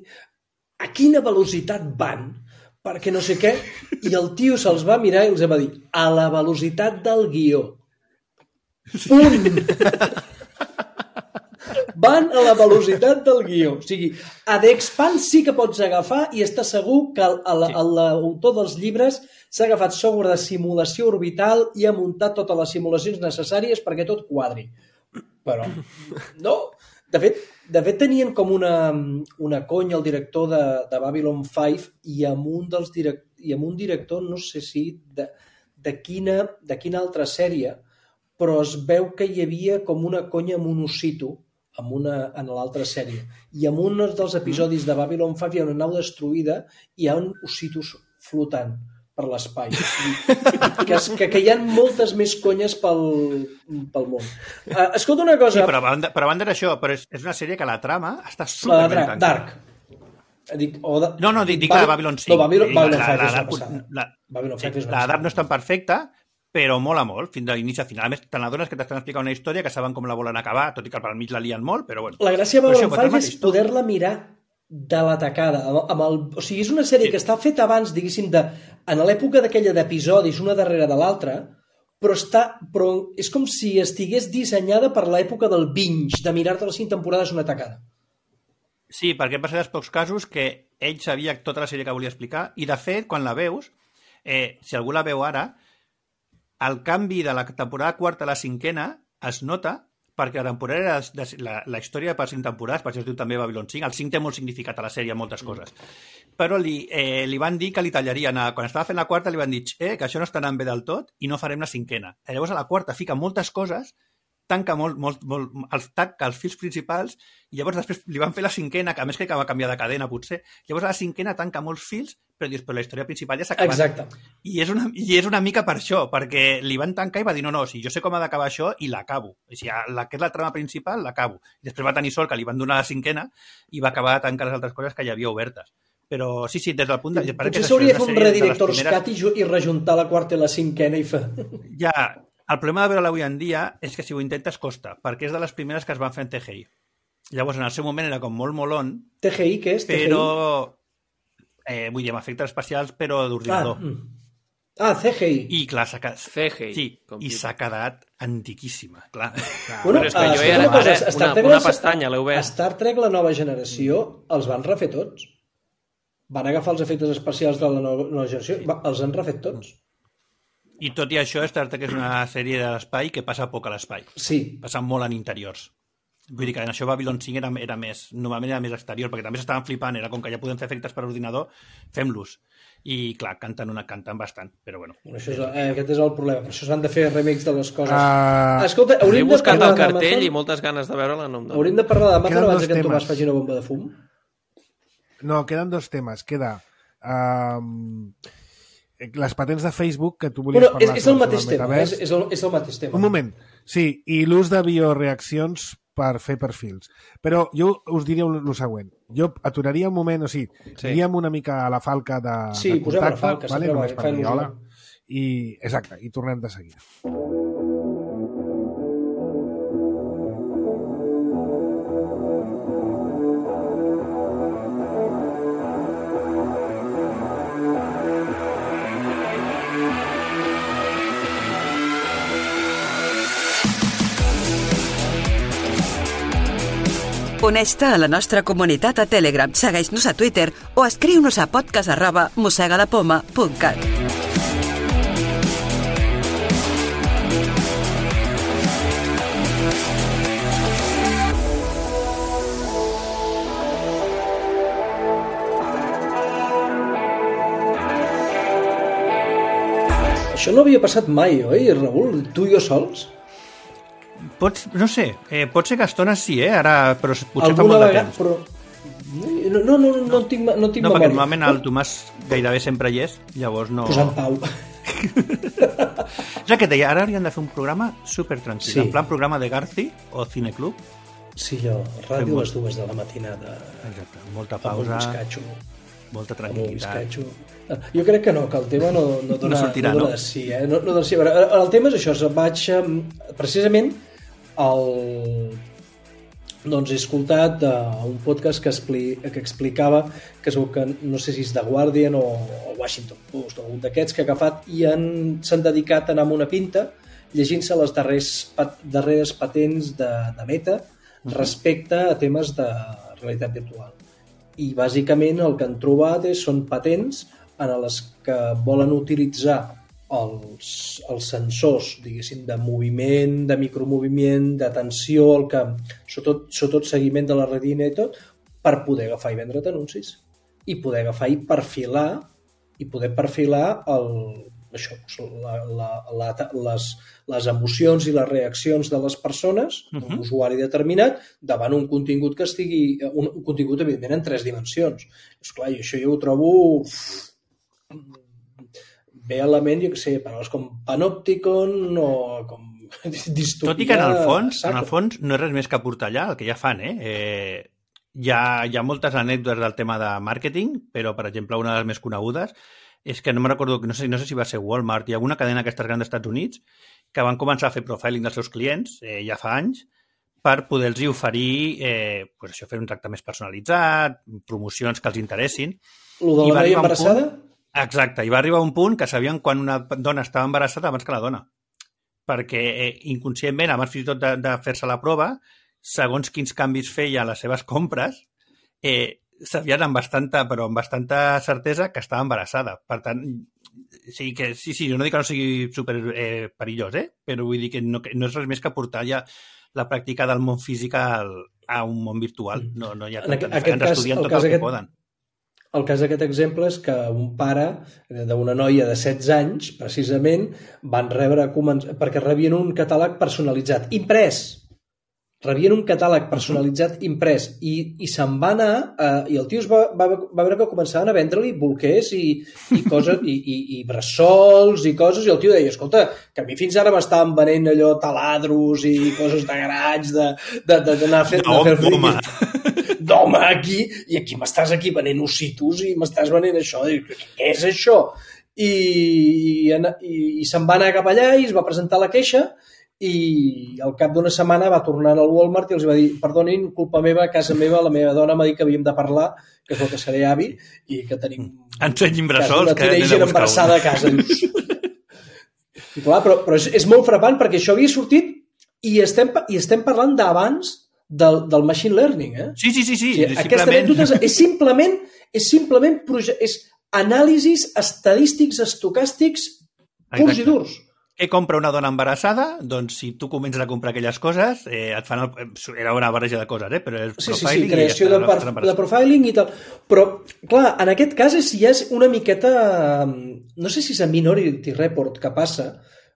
a quina velocitat van? Perquè no sé què, i el tio se'ls va mirar i els va dir a la velocitat del guió. Punt! Van a la velocitat del guió. O sigui, a The Expanse sí que pots agafar i està segur que l'autor dels llibres s'ha agafat software de simulació orbital i ha muntat totes les simulacions necessàries perquè tot quadri. Però, no... De fet, tenien com una conya el director de Babylon 5 i amb un director, no sé si de quina altra sèrie, però es veu que hi havia com una conya amb un ossito en l'altra sèrie. I en un dels episodis de Babylon 5 hi ha una nau destruïda i hi ha un ossitos flotant per l'espai. Que hi ha moltes més conyes pel món. Escolta una cosa... Sí, però a banda d'això, però és una sèrie que la trama està superben tancada. Dark. Dic la de Babylon 5. No, Babylon 5 és una passada. La Dark no és tan perfecta, però mola molt, fins a l'inici a final. A més, te n'adones que t'estan explicant una història que saben com la volen acabar, tot i que pel mig la lien molt, però bueno. La gràcia de Babylon 5 és poder-la mirar de la tacada. O sigui, és una sèrie que està feta abans, diguéssim, en l'època d'aquella d'episodis, una darrere de l'altra, però és com si estigués dissenyada per l'època del binge, de mirar-te les 5 temporades una tacada. Sí, perquè va ser dels pocs casos que ell sabia tota la sèrie que volia explicar, i de fet, quan la veus, si algú la veu ara, el canvi de la temporada 4 a la 5ª es nota perquè la temporada la història per 5 temporades, per això es diu també Babylon 5, el 5 té molt significat a la sèrie, moltes coses. Però li van dir que li tallarien, quan estava fent la 4 li van dir que això no està anant bé del tot i no farem la 5ª. Llavors a la 4 fica moltes coses tanca els fils principals i llavors després li van fer la cinquena, que a més crec que va canviar de cadena potser, llavors a la cinquena tanca molts fils però dius, però la història principal ja s'ha acabat. Exacte. I és una mica per això, perquè li van tancar i va dir, no, si jo sé com ha d'acabar això i l'acabo. O sigui, que és la trama principal, l'acabo. I després va tenir sort que li van donar la cinquena i va acabar de tancar les altres coses que hi havia obertes. Però sí, des del punt de... Potser s'hauria de fer un Redirector's Cut i rejuntar la quarta i la cinquena i fer... Ja, el problema de veure-la avui en dia és que si ho intentes costa, perquè és de les primeres que es van fer en CGI. Llavors, en el seu moment era com molt molón. TGI, què és? Però, vull dir, amb efectes especials, però d'ordinador. CGI. I clar, s'ha quedat... CGI. Sí, i s'ha quedat antiquíssima, clar. Bueno, és que jo ja una pestanya l'heu vist. Star Trek, la nova generació, els van refer tots. Van agafar els efectes especials de la nova generació, els han refet tots. I tot i això, Star Trek és una sèrie de l'espai que passa poc a l'espai. Sí. Passa molt en interiors. Vull dir que en això Babylon 5 era més, normalment era més exterior, perquè també s'estaven flipant, era com que ja podem fer efectes per ordinador, fem-los. I clar, canten bastant, però bueno. Això aquest és el problema, per això s'han de fer remakes de les coses. Escolta, hauríem de parlar el cartell i moltes ganes de veure-la. Hauríem de parlar d'Amazon abans que en Tomàs faci una bomba de fum? No, queden dos temes. Queda les patents de Facebook que tu volies parlar. És el mateix tema. És el mateix tema. Un moment. Sí, i l'ús de bioreaccions per fer perfils. Però jo us diria el següent. Jo aturaria un moment, iríem una mica a la falca de contacte. Sí, posem la falca. Vale? Només per dir hola. Exacte, i tornem de seguida. Uneix-te a la nostra comunitat a Telegram, segueix-nos a Twitter o escriu-nos a podcast@mossegalapoma.cat. Això no havia passat mai, oi, Raül? Tu i jo sols? No sé, pot ser que a estones sí, ara, però potser fa molt de temps. Però... No tinc memòria. No, perquè normalment el Tomàs gairebé sempre hi és, llavors no... Posant pau. És el que et deia, ara hauríem de fer un programa supertranquil, en plan programa de Garci o Cineclub. Sí, ràdio a les 2 de la matinada. Exacte, molta pausa, molta tranquil·litat. Jo crec que no, que el tema no dona de sí. No dona sí. El tema és això, vaig precisament doncs he escoltat un podcast que explicava que no sé si és The Guardian o Washington Post o algun d'aquests que ha agafat i s'han dedicat a anar amb una pinta llegint-se les darreres patents de Meta respecte a temes de realitat virtual. I bàsicament el que han trobat són patents en les que volen utilitzar els sensors, diguéssim, de moviment, de micromoviment, de tensió, sobretot seguiment de la retina i tot, per poder agafar i vendre't anuncis. I poder agafar i perfilar les emocions i les reaccions de les persones, d'un usuari determinat, davant un contingut que estigui... Un contingut, evidentment, en 3 dimensions. Esclar, i això jo ho trobo... ve a la ment, jo què sé, paraules com panopticon o com distopia... Tot i que en el fons no és res més que portar allà el que ja fan, Hi ha moltes anècdotes del tema de màrqueting, però, per exemple, una de les més conegudes és que no me recordo, no sé si va ser Walmart, hi ha alguna cadena d'aquestes grans dels Estats Units que van començar a fer profiling dels seus clients ja fa anys per poder-los oferir fer un tracte més personalitzat, promocions que els interessin. Lo de la noia embarassada? Exacte, i va arribar un punt que sabien quan una dona estava embarassada abans que la dona. Perquè inconscientment, abans fins i tot de fer-se la prova, segons quins canvis feia a les seves compres, sabien amb bastanta certesa que estava embarassada. Per tant, sí, jo no dic que no sigui super perillós, però vull dir que no és res més que portar ja la pràctica del món físic a un món virtual. No hi ha tant. Ens estudien tot el que poden. El cas d'aquest exemple és que un pare d'una noia de 16 anys, precisament, van rebre, perquè rebien un catàleg personalitzat, imprès. Rebien un catàleg personalitzat imprès i se'n va anar i el tio va veure que començaven a vendre-li bolquers i coses i bressols i coses i el tio deia, escolta, que a mi fins ara m'estaven venent allò taladros i coses de garatge d'anar a fer d'home aquí i aquí m'estàs aquí venent ossitos i m'estàs venent això, què és això? I se'n va anar cap allà i es va presentar la queixa i al cap d'una setmana va tornar al Walmart i els va dir, perdonin, culpa meva, a casa meva, la meva dona m'ha dit que havíem de parlar, que és el que seré avi, i que tenim ensenyin bressols, una teenager embarassada a casa. I clar, però és molt frapant perquè això havia sortit i estem parlant d'abans del machine learning. Sí. O sigui, aquesta anècdota és simplement anàlisis estadístics, estocàstics, purs i durs. Què compra una dona embarassada? Doncs si tu comences a comprar aquelles coses, et fan era una barreja de coses, però és profiling. Sí, creació de profiling i tal. Però, clar, en aquest cas ja és una miqueta... No sé si és a Minority Report que passa.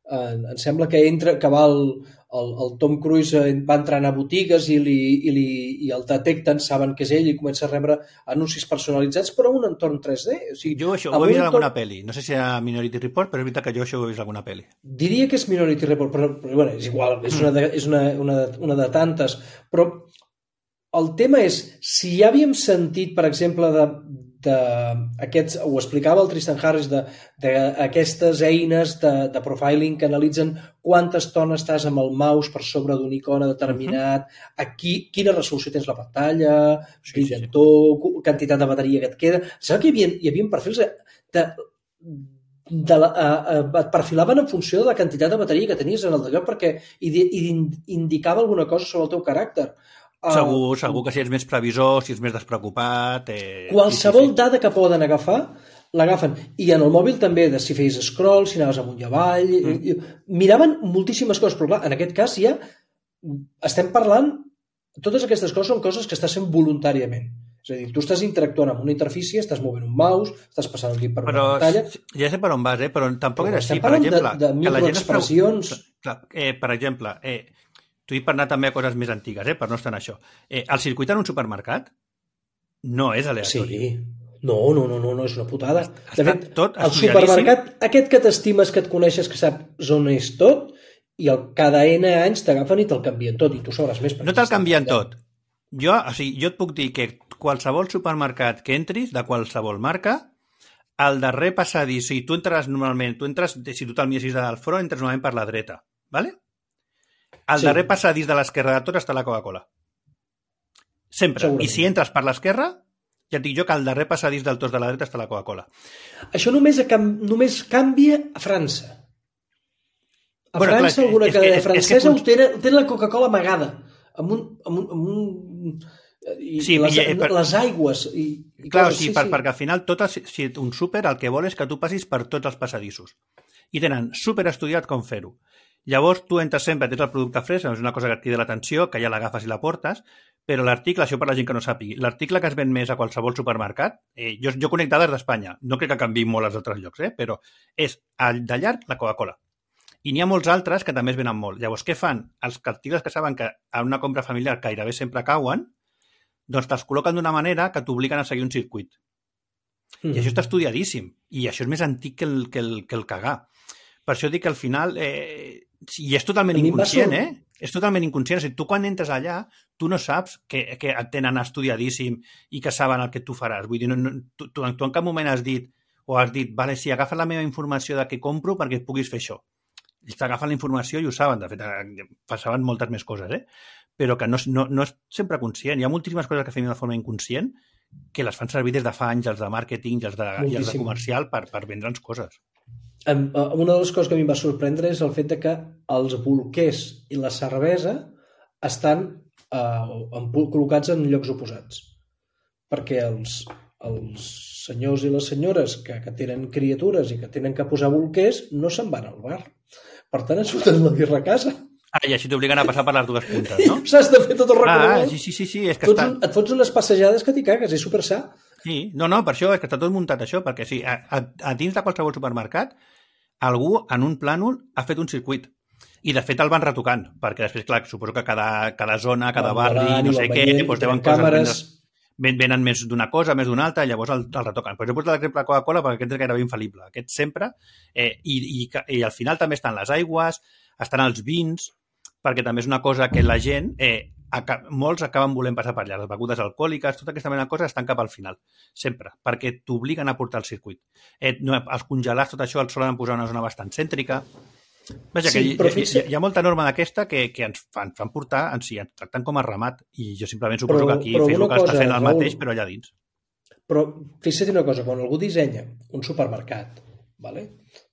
Em sembla que va el Tom Cruise va entrant a botigues i el detecten, saben que és ell i comença a rebre anuncis personalitzats però en un entorn 3D. O sigui, jo això ho he vist en alguna pel·li. No sé si era Minority Report, però és veritat que jo això ho he vist en alguna pel·li. Diria que és Minority Report, però bueno, és igual, és una de tantes. Però el tema és, si ja havíem sentit, per exemple, ho explicava el Tristan Harris, d'aquestes eines de profiling que analitzen quanta estona estàs amb el mouse per sobre d'un icona determinat, quina resolució tens la pantalla, brillantor, quantitat de bateria que et queda. Saps que hi havia perfils et perfilaven en funció de la quantitat de bateria que tenies en el lloc perquè indicava alguna cosa sobre el teu caràcter. Segur que si ets més previsor, si ets més despreocupat... Qualsevol dada que poden agafar, l'agafen. I en el mòbil també, si feies scroll, si anaves amunt i avall... Miraven moltíssimes coses, però clar, en aquest cas ja estem parlant... Totes aquestes coses són coses que estàs fent voluntàriament. És a dir, tu estàs interactuant amb una interfície, estàs movent un mouse, estàs passant un clip per una pantalla... Ja sé per on vas, però tampoc era així. Per exemple, de microexpressions... Per exemple... T'ho dic per anar també a coses més antigues, per no estar en això. El circuit en un supermercat no és aleatori. Sí. No, és una putada. De fet, el supermercat, aquest que t'estimes, que et coneixes, que saps on és tot, i cada N anys t'agafen i te'l canvien tot, i tu sabràs més. No te'l canvien tot. Jo et puc dir que qualsevol supermercat que entris, de qualsevol marca, al darrer passadís, si tu entres normalment, si tu te'l mires del front, entres normalment per la dreta, ¿vale? Al darrer passadís de l'esquerra de tot està la Coca-Cola. Sempre. I si entres per l'esquerra, ja et dic jo que al darrer passadís del tot de la dreta està la Coca-Cola. Això només canvia a França. A França, alguna cadena francesa té la Coca-Cola amagada. Les aigües. Clar, sí, perquè al final si un súper el que vol és que tu passis per tots els passadissos. I tenen superestudiat com fer-ho. Llavors, tu entres sempre, tens el producte fresc, és una cosa que et crida l'atenció, que ja l'agafes i la portes, però l'article, això per la gent que no sàpigui, l'article que es ven més a qualsevol supermercat, jo conec dades d'Espanya, no crec que canviï molt als altres llocs, però és de llarg la Coca-Cola. I n'hi ha molts altres que també es venen molt. Llavors, què fan? Els articles que saben que en una compra familiar gairebé sempre cauen, doncs te'ls col·loquen d'una manera que t'obliguen a seguir un circuit. I això està estudiadíssim. I això és més antic que el cagar. Per això dic que al final... I és totalment inconscient, És totalment inconscient. O sigui, tu quan entres allà, tu no saps que et tenen estudiadíssim i que saben el que tu faràs. Vull dir, tu en cap moment has dit, vale, sí, agafa la meva informació de què compro perquè puguis fer això. Ells t'agafen la informació i ho saben. De fet, passaven moltes més coses, però que no és sempre conscient. Hi ha moltíssimes coses que fem de forma inconscient que les fan servir des de fa anys els de màrqueting i els de comercial per vendre'ns coses. Una de les coses que a mi em va sorprendre és el fet que els bolquers i la cervesa estan col·locats en llocs oposats. Perquè els senyors i les senyores que tenen criatures i que tenen que posar bolquers no se'n van al bar. Per tant, et surten la birra a casa. I així t'obliguen a passar per les dues puntes, no? S'has de fer tot el recorregut. Sí. És que et fots unes passejades que t'hi cagues, és super sa. Sí, no, per això és que està tot muntat això, perquè sí, a dins de qualsevol supermercat algú en un plànol ha fet un circuit. I, de fet, el van retocant, perquè després, clar, suposo que cada zona, cada barri, no sé què, doncs deuen coses... Venen més d'una cosa, més d'una altra, i llavors el retoquen. Però jo he posat l'exemple de Coca-Cola perquè aquest és gairebé infal·lible. Aquest sempre, i al final també estan les aigües, estan els vins, perquè també és una cosa que la gent, molts acaben volent passar per allà. Les begudes alcohòliques, tota aquesta mena de coses estan cap al final, sempre, perquè t'obliguen a portar el circuit. Els congelats, tot això, els solen posar una zona bastant cèntrica. Vaja, sí, que hi ha molta norma d'aquesta que ens fan portar, ens tracten com a ramat, i jo simplement suposo que aquí Facebook està fent el mateix, però allà dins. Però fixa't una cosa, quan algú dissenya un supermercat, vale?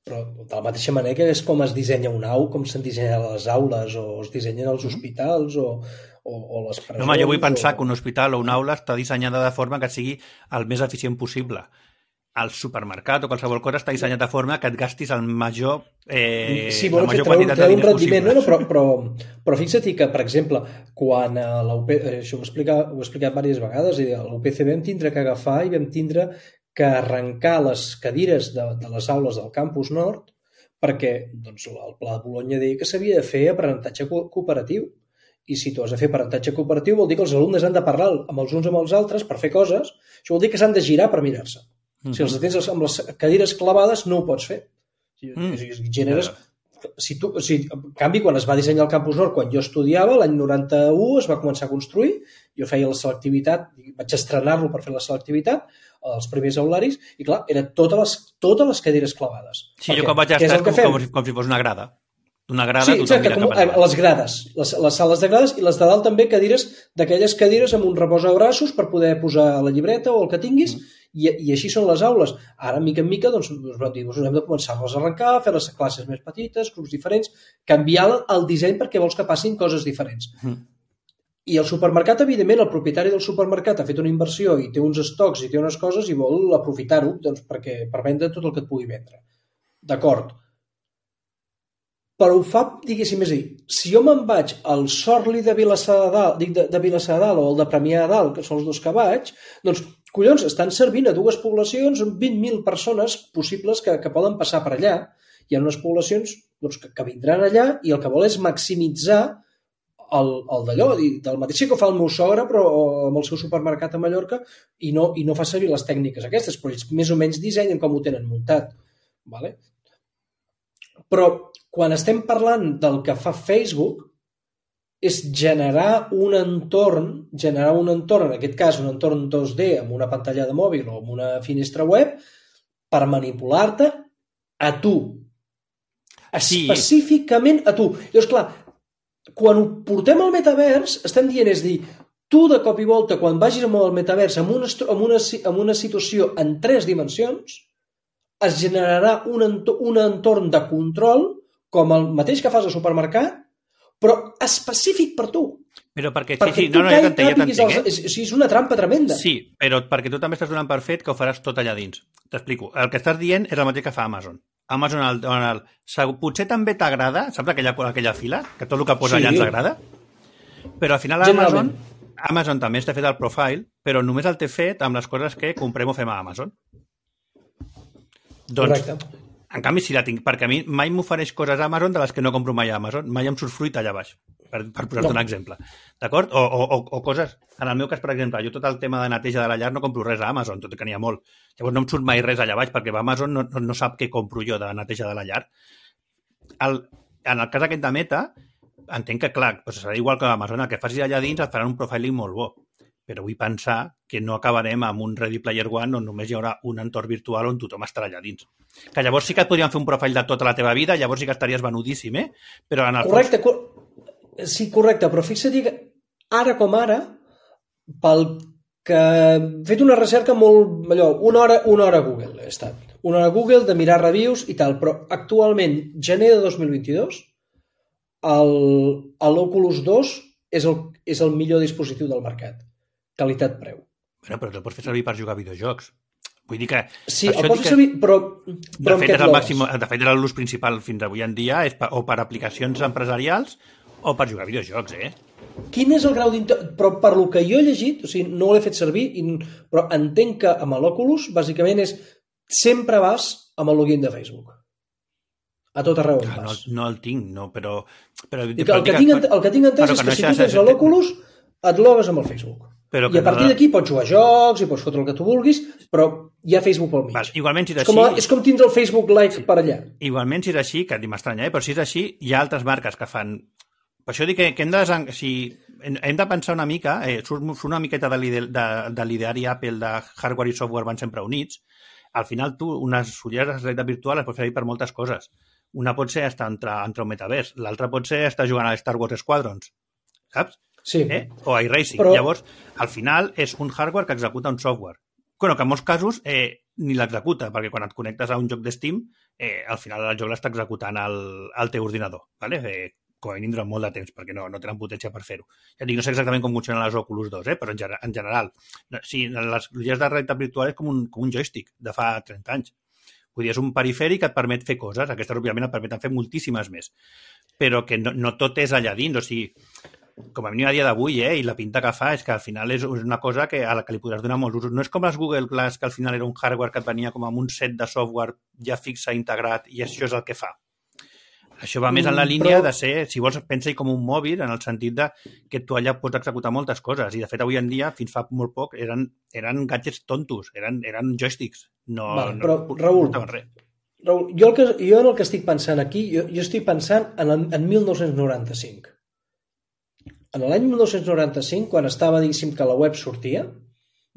Però de la mateixa manera que és com es dissenya un au, com se'n dissenyen les aules, o es dissenyen els hospitals, o les presons... Home, jo vull pensar que un hospital o una aula està dissenyada de forma que sigui el més eficient possible. El supermercat o qualsevol cosa està dissenyat de forma que et gastis el major, la major quantitat de diners possible. Però fixa't que, per exemple, quan això ho he explicat diverses vegades, i a l'UPC vam tindre que agafar i vam tindre que arrencar les cadires de les aules del campus nord perquè doncs, el Pla de Bologna deia que s'havia de fer aprenentatge cooperatiu. I si tu has de fer aprenentatge cooperatiu vol dir que els alumnes han de parlar amb els uns amb els altres per fer coses. Això vol dir que s'han de girar per mirar-se. Si els tens amb les cadires clavades, no ho pots fer. Generes... En canvi, quan es va dissenyar el Campus Nord, quan jo estudiava, l'any 91 es va començar a construir, jo feia la selectivitat, vaig estrenar-lo per fer la selectivitat, els primers aularis, i clar, eren totes les cadires clavades. Sí, jo quan vaig estar com si fos una grada. Una grada, sí, exacte, les grades, les sales de grades, i les de dalt també cadires, d'aquelles cadires amb un reposabraços per poder posar la llibreta o el que tinguis, i així són les aules. Ara, mica en mica, doncs vam dir, hem de començar-les a arrencar, fer les classes més petites, grups diferents, canviar el disseny perquè vols que passin coses diferents. I el supermercat, evidentment, el propietari del supermercat ha fet una inversió i té uns estocs i té unes coses i vol aprofitar-ho doncs, per vendre tot el que et pugui vendre. D'acord. Però ho fa, diguéssim, és a dir, si jo me'n vaig al Sorli de Vilassar de Dalt, dic de Vilassar de Dalt o el de Premià de Dalt, que són els dos que vaig, doncs, collons, estan servint a dues poblacions amb 20.000 persones possibles que poden passar per allà. Hi ha unes poblacions doncs, que vindran allà i el que vol és maximitzar el d'allò, del mateix que fa el meu sogre, però amb el seu supermercat a Mallorca, i no fa servir les tècniques aquestes, però ells més o menys dissenyen com ho tenen muntat. Vale? Però quan estem parlant del que fa Facebook és generar un entorn, en aquest cas un entorn 2D amb una pantalla de mòbil o amb una finestra web per manipular-te a tu. Específicament a tu. Llavors, clar, quan ho portem al metavers, estem dient, és dir, tu de cop i volta, quan vagis amb el metavers en una situació en 3 dimensions, es generarà un entorn de control com el mateix que fas al supermercat, però específic per tu. Però perquè sí, no, jo t'entenc. És una trampa tremenda. Sí, però perquè tu també estàs donant per fet que ho faràs tot allà dins. T'explico. El que estàs dient és el mateix que fa Amazon. Amazon, potser també t'agrada, saps aquella fila? Que tot el que posa allà ens agrada? Però al final Amazon també està fet el profile, però només el té fet amb les coses que comprem o fem a Amazon. Doncs, correcte. En canvi, si la tinc, perquè a mi mai m'ofereix coses a Amazon de les que no compro mai a Amazon, mai em surt fruita allà baix, per posar-te un exemple. D'acord? O coses, en el meu cas, per exemple, jo tot el tema de neteja de la llar no compro res a Amazon, tot i que n'hi ha molt. Llavors no em surt mai res allà baix, perquè Amazon no sap què compro jo de neteja de la llar. En el cas aquest de Meta, entenc que, clar, serà igual que a Amazon, el que facis allà dins et faran un profiling molt bo. Però vull pensar que no acabarem amb un Ready Player One on només hi haurà un entorn virtual on tothom estarà allà dins. Que llavors sí que et podrien fer un profile de tota la teva vida, llavors sí que estaries venudíssim, Però en el correcte, sí, correcte, però fixa't que ara com ara, pel que he fet una recerca molt... una hora a Google he estat. Una hora a Google de mirar reviews i tal, però actualment, gener de 2022, l'Oculus 2 és el millor dispositiu del mercat. Qualitat-preu. Bueno, però te'l pots fer servir per jugar a videojocs. Vull dir que... Sí, el pots fer servir, però de fet, és el màxim, de fet, l'ús principal fins avui en dia és o per aplicacions empresarials o per jugar a videojocs, Quin és el grau però per lo que jo he llegit, o sigui, no l'he fet servir, però entenc que amb l'Oculus, bàsicament sempre vas amb el login de Facebook. A tot arreu on vas. No el tinc, no, però el que tinc entès és que si tu tens l'Oculus, et logues amb el Facebook. I a partir d'aquí pots jugar a jocs i pots fotre el que tu vulguis, però hi ha Facebook pel mig. Igualment, si és així... És com tindre el Facebook Live per allà. Igualment, si és així, que m'estranya, però si és així, hi ha altres marques que fan... Per això dic que hem de pensar una mica, surt una miqueta de l'ideari Apple de hardware i software van sempre units. Al final, tu, unes ulleres de realitat virtual es pot fer per moltes coses. Una pot ser estar entre un metavers, l'altra pot ser estar jugant a Star Wars Squadrons, saps? Sí. O a iRacing. Però... Llavors, al final, és un hardware que executa un software. Bueno, que en molts casos ni l'executa, perquè quan et connectes a un joc de Steam, al final el joc l'està executant al teu ordinador, ¿vale? Com a mínim durant molt de temps, perquè no tenen potència per fer-ho. Ja dic, no sé exactament com funcionen les Oculus 2, però en general. Sí, les ulleres de realitat virtual és com un joystick de fa 30 anys. Vull dir, és un perifèric que et permet fer coses. Aquestes, òbviament, et permeten fer moltíssimes més. Però que no tot és allà dins. O sigui, com a mínim a dia d'avui, i la pinta que fa és que al final és una cosa a la que li podràs donar molts usos. No és com les Google Glass, que al final era un hardware que et venia com amb un set de software ja fixe, integrat, i això és el que fa. Això va més en la línia de ser, si vols, pensa-hi com un mòbil, en el sentit de que tu allà pots executar moltes coses. I, de fet, avui en dia, fins fa molt poc, eren gadgets tontos, eren joysticks. Però, Raül, jo en el que estic pensant aquí, jo estic pensant en 1995. En l'any 1995, quan estava, diguéssim, que la web sortia,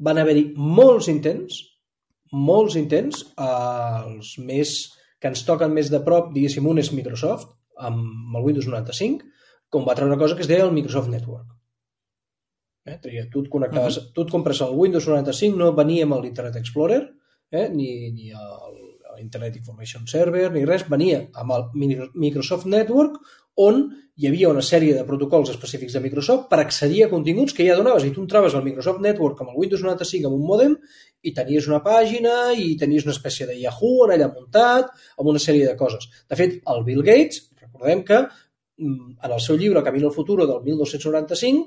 van haver-hi molts intents, els més... que ens toquen més de prop, diguéssim, un és Microsoft, amb el Windows 95, com va treure una cosa que es deia el Microsoft Network. Tu et connectaves, tu et compres el Windows 95, no venia amb l'Internet Explorer, ni l'Internet Information Server, ni res, venia amb el Microsoft Network, on hi havia una sèrie de protocols específics de Microsoft per accedir a continguts que ja donaves. I tu entraves al Microsoft Network amb el Windows 95 amb un mòdem i tenies una pàgina i tenies una espècie de Yahoo en allà muntat, amb una sèrie de coses. De fet, el Bill Gates, recordem que en el seu llibre Camino al Futuro del 1995,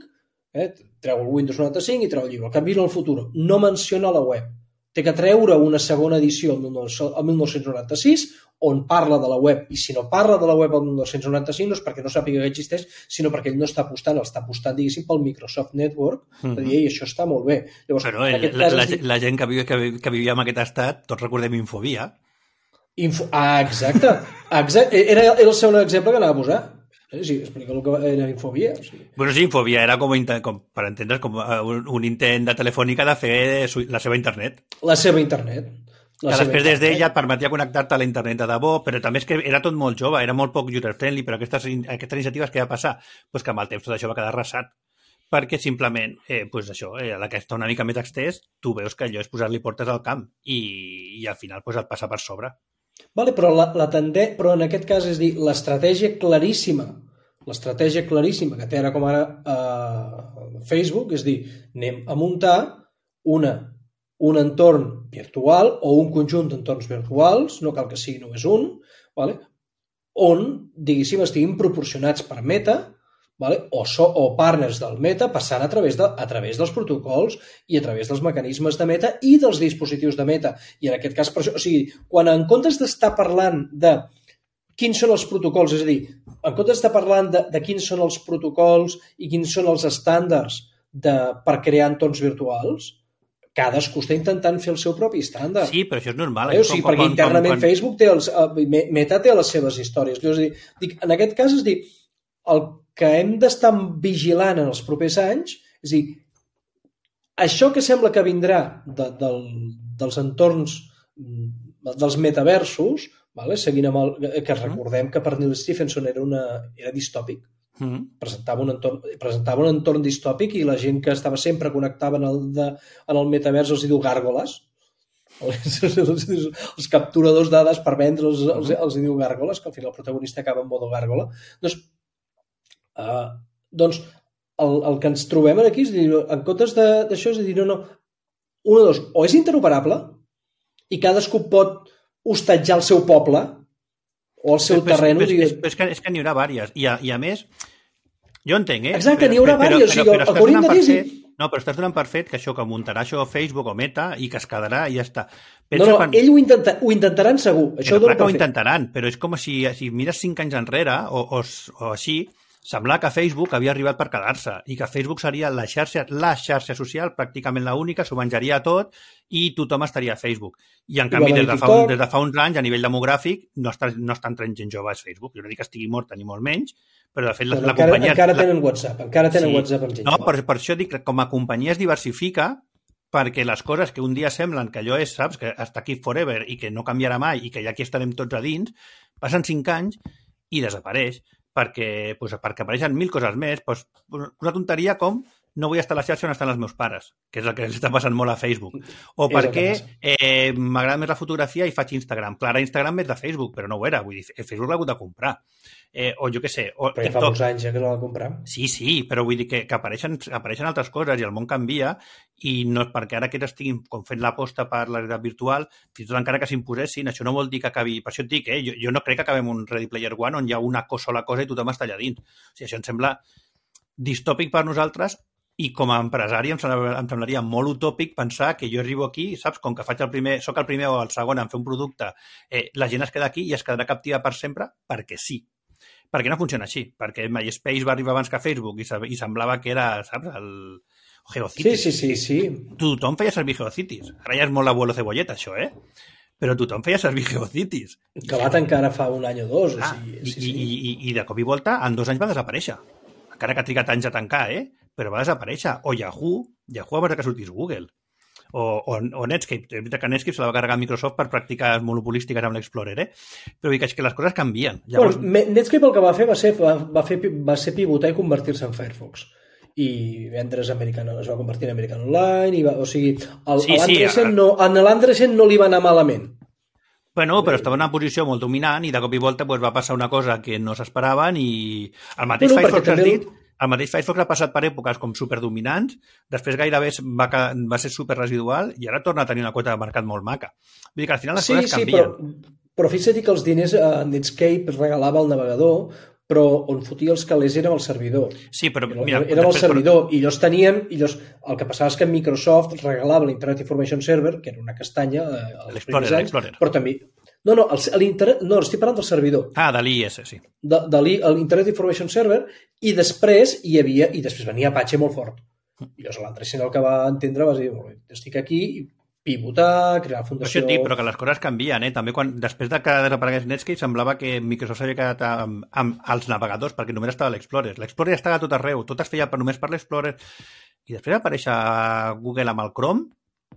treu el Windows 95 i treu el llibre Camino al Futuro. No menciona la web. Té que treure una segona edició el 1996 on parla de la web, i si no parla de la web el 1995 no és perquè no sàpiga que existeix, sinó perquè ell no està apostant, diguéssim, pel Microsoft Network, de dir, això està molt bé. Llavors, però la gent que vivia en aquest estat, tots recordem Infobia. Exacte. Era el segon exemple que anava a posar. Sí, explica el que era Infobia. Bueno, sí, Infobia era com per entendre's, com un intent de Telefònica de fer la seva internet. La seva internet. Que després des d'ella et permetia connectar-te a la internet de debò, però també és que era tot molt jove, era molt poc user-friendly, però aquestes iniciatives què va passar? Pues que amb el temps tot això va quedar arrasat, perquè simplement, això, a la que està una mica més extès, tu veus que allò és posar-li portes al camp i al final et passa per sobre. Vale, però però en aquest cas és dir, l'estratègia claríssima que té ara com ara Facebook, és dir, anem a muntar un entorn virtual o un conjunt d'entorns virtuals, no cal que sigui només un, vale? On, diguéssim, estiguin proporcionats per Meta, vale? O partners del Meta passant a través dels protocols i a través dels mecanismes de Meta i dels dispositius de Meta. I en aquest cas, per això, o sigui, quan en comptes d'estar parlant de quins són els protocols, és a dir, en comptes d'estar parlant de quins són els protocols i quins són els estàndards per crear entorns virtuals, cadascú està intentant fer el seu propi estàndard. Sí, però això és normal. O sigui, perquè internament Facebook Meta té les seves històries. En aquest cas, és dir, el que hem d'estar vigilant en els propers anys, és dir, això que sembla que vindrà dels entorns dels metaversos, seguint amb que recordem que per Neil Stephenson era distòpic, presentava un entorn distòpic i la gent que estava sempre connectava en el metavers els diu gàrgoles. Els capturadors dades per vendre els diu gàrgoles, que al final el protagonista acaba en modo gàrgola. Doncs el que ens trobem aquí és dir, en comptes d'això, és dir, o és interoperable i cadascú pot hostatjar el seu poble o el seu terreny. És que n'hi haurà vàries. I a més, Jo entenc, Exacte, n'hi haurà diversos. O sigui, el que hauríem de dir és... No, però estàs donant per fet que això que muntarà això Facebook o Meta i que es quedarà i ja està. Ell ho intentaran segur. Això clar que ho intentaran, però és com si mires 5 anys enrere o així, semblava que Facebook havia arribat per quedar-se i que Facebook seria la xarxa social, pràcticament l'única, s'ho menjaria tot i tothom estaria a Facebook. I en canvi, des de fa uns anys, a nivell demogràfic, no estan traient gent jove a Facebook. Jo no dic que estigui morta ni molt menys, però de fet la companyia... Encara tenen WhatsApp, WhatsApp amb gent jove. No, per això dic que com a companyia es diversifica perquè les coses que un dia semblen que allò és, saps, que està aquí forever i que no canviarà mai i que ja aquí estarem tots a dins, passen 5 anys i desapareix perquè apareixen 1000 coses més. Una tonteria com no vull estar a la xarxa on estan els meus pares, que és el que els està passant molt a Facebook. O perquè m'agrada més la fotografia i faig Instagram. Clar, ara Instagram és de Facebook, però no ho era. Vull dir, Facebook l'ha hagut de comprar. O jo què sé... Però ja fa molts anys que no l'ha de comprar. Sí, però vull dir que apareixen altres coses i el món canvia i no és perquè ara que estiguin com fent l'aposta per la realitat virtual, fins i tot encara que s'imposessin, això no vol dir que acabi... Per això et dic, jo no crec que acabem un Ready Player One on hi ha una sola cosa i tothom està allà dins. O sigui, això em sembla distòpic per nosaltres i com a empresari em semblaria molt utòpic pensar que jo arribo aquí, saps, com que soc el primer o el segon en fer un producte, la gent es queda aquí i es quedarà captiva per sempre perquè sí. Perquè no funciona així, perquè MySpace va arribar abans que Facebook i semblava que era, saps, el GeoCities. Sí. Tothom feia servir GeoCities. Ara ja és molt l'abuelo cebolleta, això, Però tothom feia servir GeoCities. Que va tancar ara fa un any o dos. I de cop i volta, en 2 anys va desaparèixer. Encara que ha trigat anys a tancar, però va desaparèixer. O Yahoo abans que sortís Google. O Netscape. És veritat que Netscape se la va carregar Microsoft per pràctiques monopolístiques amb l'Explorer, Però dic que les coses canvien. Llavors... Netscape el que va fer va ser pivotar i convertir-se en Firefox. I vendre's es va convertir en American Online, l'Andresen no li va anar malament. Bueno, però estava en una posició molt dominant i de cop i volta va passar una cosa que no s'esperaven i el mateix Firefox has dit, el mateix Firefox ha passat per èpoques com superdominants, després gairebé va ser superresidual i ara torna a tenir una quota de mercat molt maca. Vull dir que al final les coses canvien. Però fixa't que els diners Netscape regalava al navegador, però on fotia els calés era el servidor. Sí, però mira... Era el servidor, i el que passava és que Microsoft regalava l'Internet Information Server, que era una castanya l'Explorer. Però també... No, estic parlant del servidor. De l'IS, sí. De l'Internet Information Server, i després venia Apache molt fort. I llavors l'Andresen el que va entendre va dir, estic aquí, pivotar, crear fundació... Però que les coses canvien, També després de que desaparegués Netscape semblava que Microsoft s'havia quedat amb els navegadors perquè només estava l'Explorer. L'Explorer estava a tot arreu, tot es feia només per l'Explorer. I després va aparèixer Google amb el Chrome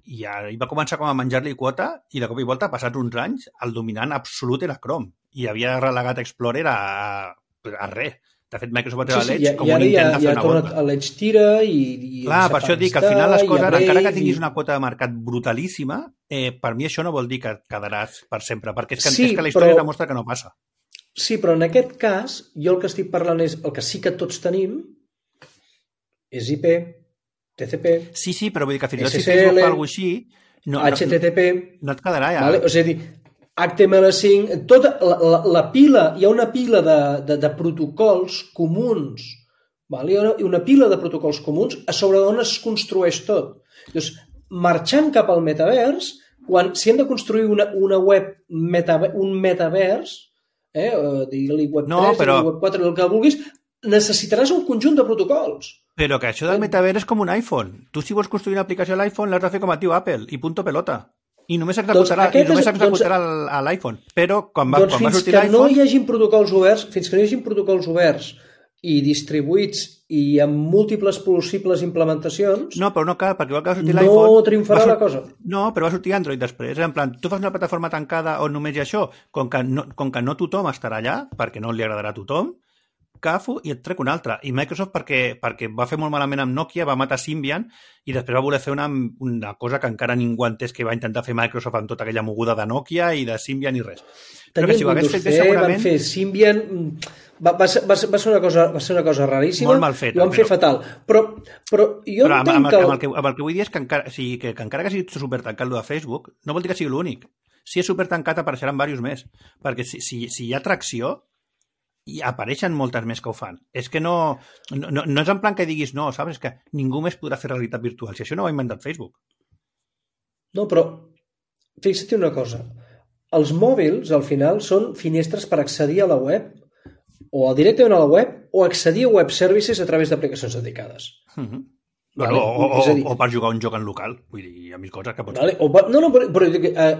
i va començar com a menjar-li quota i de cop i volta, passats uns anys, el dominant absolut era Chrome i havia relegat Explorer a res. De fet, Microsoft va treure l'Edge com un intent de fer una volta. L'Edge tira i... Clar, per això dic que al final les coses, encara que tinguis una quota de mercat brutalíssima, per mi això no vol dir que quedaràs per sempre, perquè és que la història demostra que no passa. Sí, però en aquest cas, jo el que estic parlant és el que sí que tots tenim és IP, TCP... Sí, però vull dir que fins i tot si Facebook fa alguna cosa així... HTTP... No et quedarà ja. Vale? O sigui, HTML5, tota la pila, hi ha una pila de protocols comuns, vale? Hi ha una pila de protocols comuns a sobre d'on es construeix tot. Llavors, marxant cap al metavers, si hem de construir una web, un metavers, digue-li web 3, web 4, el que vulguis, necessitaràs un conjunt de protocols. Però que això del metavers és com un iPhone. Tu si vols construir una aplicació a l'iPhone l'has de fer com et diu Apple i punto pelota. I només executarà a l'iPhone. Però quan va sortir l'iPhone... Fins que no hi hagin protocols oberts i distribuïts i amb múltiples possibles implementacions... No, però no cal, perquè igual que va sortir l'iPhone... No triomfarà la cosa. No, però va sortir Android després. En plan, tu fas una plataforma tancada on només hi ha això, com que no tothom estarà allà, perquè no li agradarà a tothom, cafo i et trec un altre. I Microsoft, perquè va fer molt malament amb Nokia, va matar Symbian i després va voler fer una cosa que encara ningú ha entès que va intentar fer Microsoft amb tota aquella moguda de Nokia i de Symbian i res. Tenien Windows C, van fer Symbian... Va ser una cosa raríssima. Molt mal fet. I ho van fer fatal. Però jo entenc que... Amb el que vull dir és que encara que sigui supertancat el de Facebook, no vol dir que sigui l'únic. Si és supertancat apareixeran diversos més. Perquè si hi ha tracció, I apareixen moltes més que ho fan. És que no és en plan que diguis no, saps? És que ningú més podrà fer realitat virtual. Si això no ho ha inventat Facebook. No, però fixa't una cosa. Els mòbils, al final, són finestres per accedir a la web, o directament a la web, o accedir a web services a través d'aplicacions dedicades. Vale? O per jugar un joc en local. Vull dir, hi ha mil coses que pots fer. Però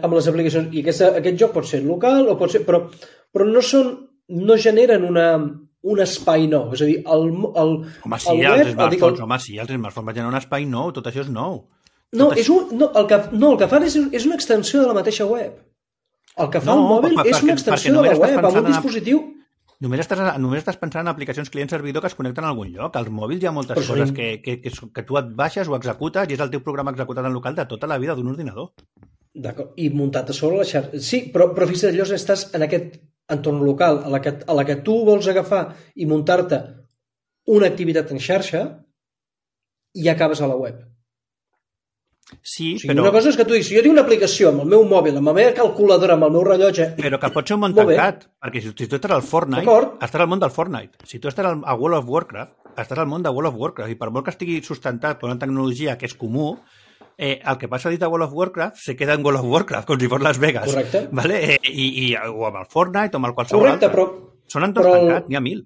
amb les aplicacions... I aquest joc pot ser local, o pot ser... Però no generen un espai nou. És a dir, Home, sí, els smartphones van generar un espai nou, tot això és nou. El que fan és una extensió de la mateixa web. El que fa el mòbil és una extensió de la web amb un dispositiu... Només estàs pensant en aplicacions client-servidor que es connecten a algun lloc. Als mòbils hi ha moltes coses que tu et baixes o executes i és el teu programa executat en local de tota la vida d'un ordinador. D'acord, i muntat a sobre la xarxa. Sí, però fixa't, allò estàs en aquest entorn local a la que tu vols agafar i muntar-te una activitat en xarxa i acabes a la web. Sí, però... Una cosa és que tu diguis, si jo tinc una aplicació amb el meu mòbil, amb la meva calculadora, amb el meu rellotge... Però que pot ser un món tancat, perquè si tu estàs al Fortnite, estàs al món del Fortnite. Si tu estàs a World of Warcraft, estàs al món de World of Warcraft. I per molt que estigui sustentat per una tecnologia que és comú, el que passa dins de World of Warcraft se queda en World of Warcraft, com si fos Las Vegas. Correcte. Vale? O amb el Fortnite o amb el qualsevol altre. Però... Són entorns tancats, n'hi ha mil.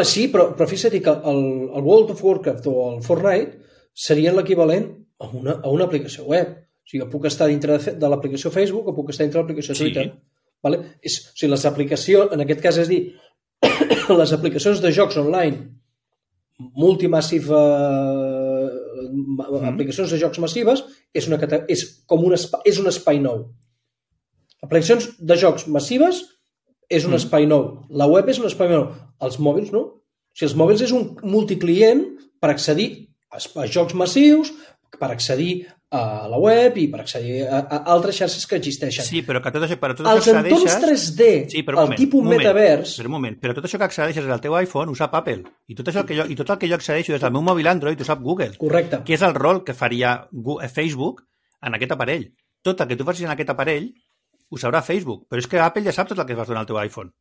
Sí, però fixa't que el World of Warcraft o el Fortnite serien l'equivalent a una aplicació web. O sigui, puc estar dintre de l'aplicació Facebook o puc estar dintre de l'aplicació Twitter. Vale? O sigui, les aplicacions, en aquest cas és dir, les aplicacions de jocs online multimassive, aplicacions de jocs massives, és un espai nou. Aplicacions de jocs massives és un espai nou. La web és un espai nou. Els mòbils no. O sigui, els mòbils és un multiclient per accedir a jocs massius, per accedir a la web i per accedir a altres xarxes que existeixen. Sí, però que tot això... Els entorns 3D, el tipus metavers... Però un moment, però tot això que accedeixes al teu iPhone ho sap Apple. I tot el que jo accedeixo des del meu mòbil Android ho sap Google. Correcte. Que és el rol que faria Facebook en aquest aparell. Tot el que tu facis en aquest aparell ho sabrà Facebook. Però és que Apple ja sap tot el que vas donar al teu iPhone.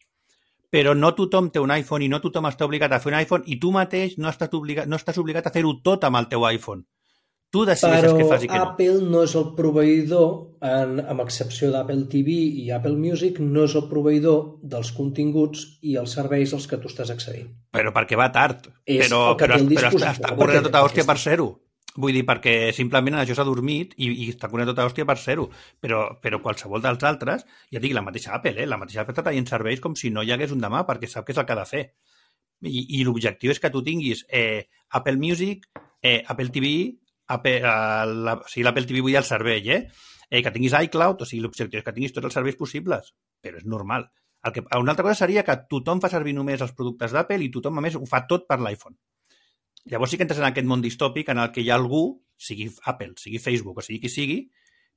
Però no tothom té un iPhone i no tothom està obligat a fer un iPhone i tu mateix no estàs obligat a fer-ho tot amb el teu iPhone. Tu decideixes què fas i què no. Però Apple no és el proveïdor, amb excepció d'Apple TV i Apple Music, no és el proveïdor dels continguts i els serveis als que tu estàs accedint. Però perquè va tard. Però està corrent tota hòstia per ser-ho. Vull dir, perquè simplement això s'ha dormit i està corrent tota hòstia per ser-ho. Però qualsevol dels altres, ja dic, la mateixa Apple, la mateixa Apple està traient serveis com si no hi hagués un demà, perquè sap què és el que ha de fer. I l'objectiu és que tu tinguis Apple Music, Apple TV... l'Apple TV vull dir el servei, que tinguis iCloud, o sigui, l'objectiu és que tinguis tots els serveis possibles, però és normal. Una altra cosa seria que tothom fa servir només els productes d'Apple i tothom, a més, ho fa tot per l'iPhone. Llavors sí que entres en aquest món distòpic en el que hi ha algú, sigui Apple, sigui Facebook o sigui qui sigui,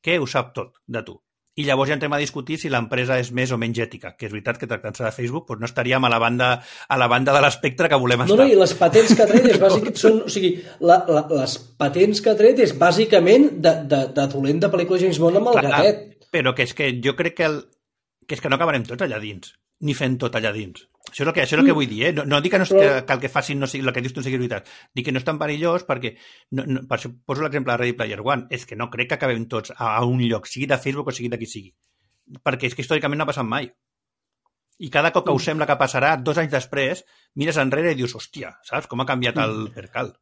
que ho sap tot de tu. I llavors ja entrem a discutir si l'empresa és més o menys ètica, que és veritat que tractant-se de Facebook doncs no estaríem a la banda de l'espectre que volem estar. No, i les patents que ha tret és bàsicament... O sigui, les patents que ha tret és bàsicament de dolent de pel·lícula James Bond amb el gatet. Però que és que jo crec que és que no acabarem tots allà dins, ni fent tot allà dins. Això és el que vull dir, No dic que el que facin no sigui, el que dius tu no sigui veritat. Dic que no és tan perillós perquè, per això poso l'exemple de Ready Player One, és que no crec que acabem tots a un lloc, sigui de Facebook o sigui de qui sigui. Perquè és que històricament no ha passat mai. I cada cop que us sembla que passarà, 2 anys després, mires enrere i dius, hòstia, saps com ha canviat el percal?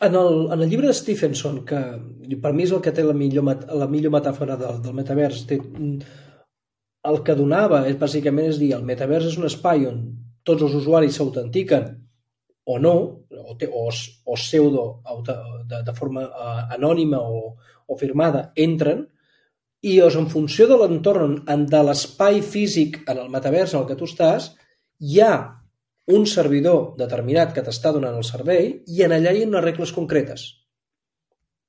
En el llibre de Stephenson, que per mi és el que té la millor metàfora del metavers, el que donava bàsicament és dir, el metavers és un espai on tots els usuaris s'autentiquen o no, o pseudo de forma anònima o firmada entren, i en funció de l'entorn, de l'espai físic en el metavers en el que tu estàs, hi ha un servidor determinat que t'està donant el servei i en allà hi ha unes regles concretes.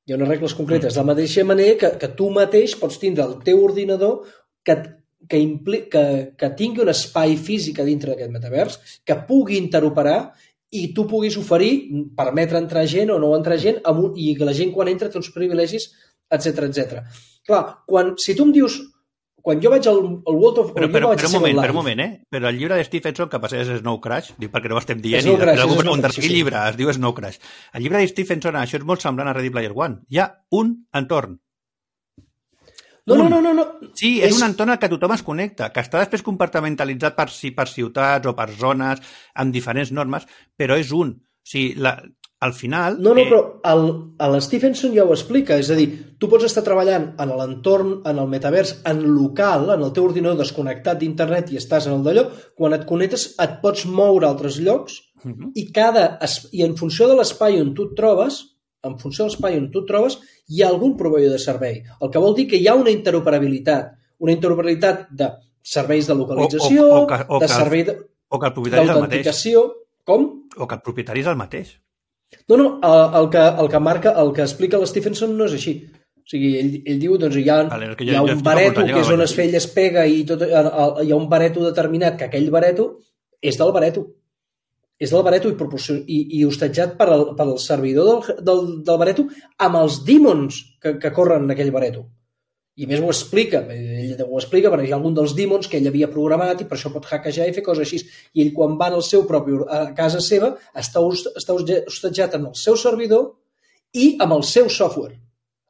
Hi ha unes regles concretes. De la mateixa manera que tu mateix pots tindre el teu ordinador que tingui un espai físic a dintre d'aquest metavers, que pugui interoperar i tu puguis oferir, permetre entrar gent o no entrar gent, i que la gent quan entra té uns privilegis, etc. Clar, si tu em dius, quan jo vaig al World of... Però un moment, Però el llibre de Stephenson, que passés és Snow Crash, dic perquè no ho estem dient, Snow Crash, algú pregunta quin llibre, es diu Snow Crash. El llibre de Stephenson, això és molt semblant a Ready Player One. Hi ha un entorn. No. Sí, és un entorn al que tothom es connecta, que està després compartimentalitzat per ciutats o per zones amb diferents normes, però és un. O sigui, al final... No, però el Stephenson ja ho explica, és a dir, tu pots estar treballant en l'entorn, en el metavers, en local, en el teu ordinador desconnectat d'internet i estàs en el d'allò, quan et connectes et pots moure a altres llocs i en funció de l'espai on tu et trobes, hi ha algun proveïdor de servei. El que vol dir que hi ha una interoperabilitat de serveis de localització, de servei d'autenticació... Com? O que el propietari és el mateix. No, el que explica el Stephenson no és així. O sigui, ell diu, doncs hi ha un bareto que és on es feia i es pega i hi ha un bareto determinat, que aquell bareto és del bareto. És del bareto i hostatjat pel servidor del bareto amb els dímons que corren en aquell bareto. I més ho explica, perquè hi ha algun dels dímons que ell havia programat i per això pot hackejar i fer coses així. I ell quan va a casa seva està hostatjat amb el seu servidor i amb el seu software,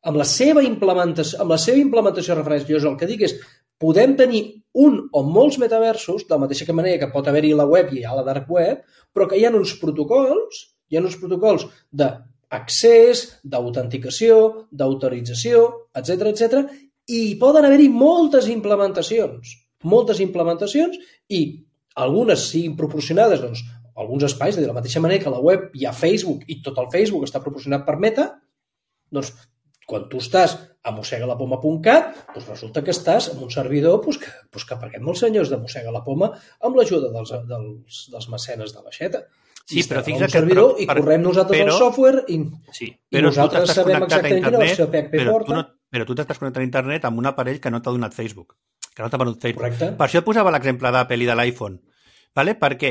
amb la seva implementació de referència. Jo el que dic és, podem tenir un o molts metaversos, de la mateixa manera que pot haver-hi la web i hi ha la dark web, però que hi ha uns protocols d'accés, d'autenticació, d'autorització, etc. I poden haver-hi moltes implementacions i algunes siguin proporcionades a alguns espais, de la mateixa manera que a la web hi ha Facebook i tot el Facebook està proporcionat per Meta, doncs quan tu estàs a mossegalapoma.cat, doncs resulta que estàs en un servidor que paguem els senyors de Mossega la Poma amb l'ajuda dels mecenes de l'aixeta. Sí, però fixa't que... I correm nosaltres el software i nosaltres sabem exactament quina versió PHP porta. Però tu t'estàs connectant a internet amb un aparell que no t'ha donat Facebook, que no t'ha venut Facebook. Correcte. Per això et posava l'exemple d'Apple i de l'iPhone, ¿vale? Perquè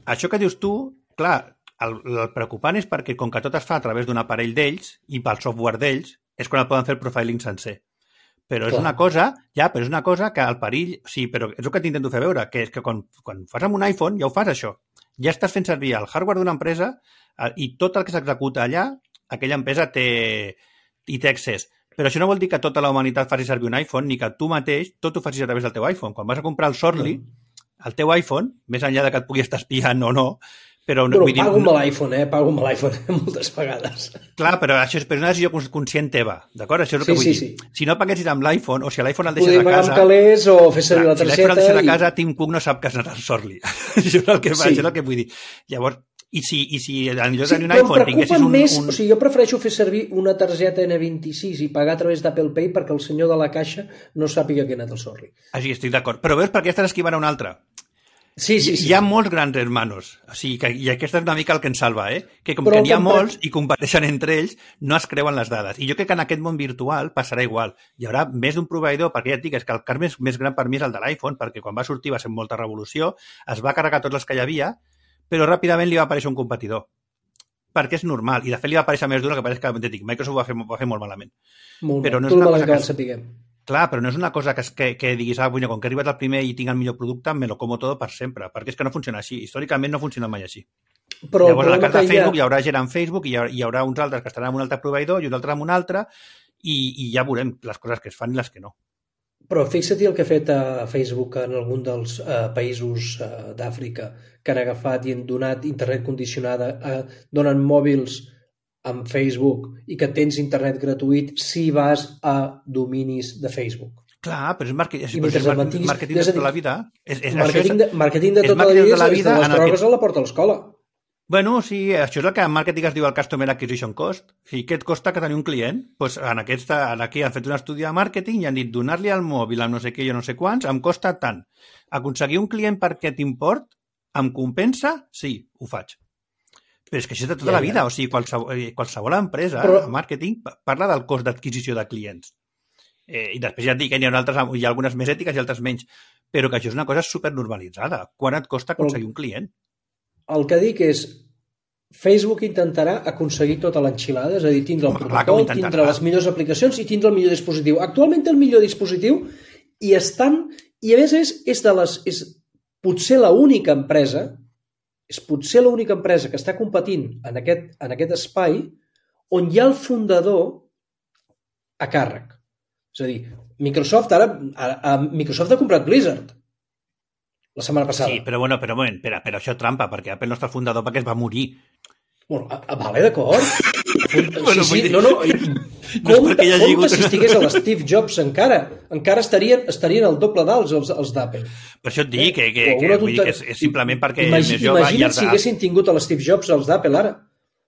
això que dius tu, clar, el preocupant és perquè com que tot es fa a través d'un aparell d'ells i pel software d'ells, és quan et poden fer el profiling sencer. Però és una cosa que el perill... Sí, però és el que t'intento fer veure, que és que quan fas amb un iPhone ja ho fas això. Ja estàs fent servir el hardware d'una empresa i tot el que s'executa allà, aquella empresa té accés. Però això no vol dir que tota la humanitat faci servir un iPhone ni que tu mateix tot ho facis a través del teu iPhone. Quan vas a comprar el Sorli, el teu iPhone, més enllà de que et pugui estar espiant o no, però pago amb l'iPhone moltes vegades. Clar, però això és una decisió conscient teva, d'acord? Això és el que vull dir. Sí. Si no paguessis amb l'iPhone, o si l'iPhone el deixes a casa... Podria pagar amb calés o fer servir la targeta... Si l'iPhone el deixes a casa, Tim Cook no sap que has anat al Sorli. Això és el que vull dir. Llavors, I si en lloc de tenir un iPhone tinguessis O sigui, jo prefereixo fer servir una targeta N26 i pagar a través d'Apple Pay perquè el senyor de la caixa no sàpiga que ha anat al Sorli. Així, estic d'acord. Però veus per què estàs esquivant a un altre? Sí. Hi ha molts grans hermanos. O sigui, i aquesta és una mica el que ens salva, que com que n'hi ha molts i competeixen entre ells, no es creuen les dades. I jo crec que en aquest món virtual passarà igual. Hi haurà més d'un proveïdor, perquè ja et dic, és que el cas més gran per mi és el de l'iPhone, perquè quan va sortir va ser molta revolució, es va carregar tots els que hi havia, però ràpidament li va aparèixer un competidor. Perquè és normal. I de fet li va aparèixer més d'una que pareix que dic, Microsoft va fer molt malament. Però no és una cosa que sapiguem. Clar, però no és una cosa que diguis, com que he arribat al primer i tinc el millor producte, me lo como todo per sempre, perquè és que no funciona així. Històricament no funciona mai així. Però llavors, a la carta de Facebook hi haurà gent en Facebook i hi haurà uns altres que estaran en un altre proveïdor i uns altres en un altre i ja veurem les coses que es fan i les que no. Però fixa-t'hi el que ha fet Facebook en algun dels països d'Àfrica que han agafat i han donat internet condicionada, donen mòbils amb Facebook i que tens internet gratuït si vas a dominis de Facebook. Clar, però és màrqueting de tota la vida. Màrqueting de tota la vida és de les drogues a la porta de l'escola. Bueno, sí, això és el que en màrqueting es diu el Customer Acquisition Cost. O sigui, què et costa que tenir un client? Doncs aquí han fet un estudi de màrqueting i han dit donar-li al mòbil amb no sé què i no sé quants em costa tant. Aconseguir un client perquè t'import em compensa? Sí, ho faig. Però és que això és de tota la vida. O sigui, qualsevol empresa a màrqueting parla del cost d'adquisició de clients. I després ja et dic que hi ha algunes més ètiques i altres menys. Però que això és una cosa supernormalitzada. Quant et costa aconseguir un client? El que dic és, Facebook intentarà aconseguir tota l'enxilada, és a dir, tindre el protocol, tindre les millors aplicacions i tindre el millor dispositiu. Actualment té el millor dispositiu I a més és potser l'única empresa que està competint en aquest espai on hi ha el fundador a càrrec. És a dir, Microsoft ha comprat Blizzard la setmana passada. Sí, però això trampa, perquè Apple no està fundador perquè es va morir. Bueno, vale, d'acord. Sí, no. Compte si estigués a l'Steve Jobs encara estarien al doble d'alts els d'Apple. Per això et dic que és simplement perquè el més jove... Imagina't si haguessin tingut a l'Steve Jobs els d'Apple ara.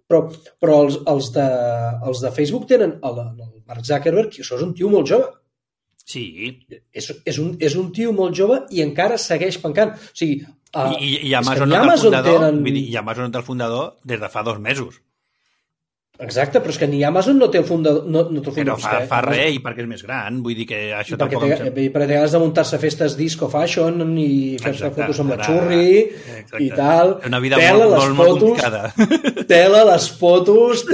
Però els de Facebook tenen el Mark Zuckerberg, que això és un tio molt jove. Sí. És un tio molt jove i encara segueix pencant. O sigui, I Amazon no té el fundador des de fa 2 mesos. Exacte, però és que ni Amazon no té el fundador. Però fa res, i perquè és més gran. Vull dir que això tampoc... Perquè té ganes de muntar-se festes disco fashion i fer-se fotos amb la xurri i tal. Una vida molt complicada. Tela les fotos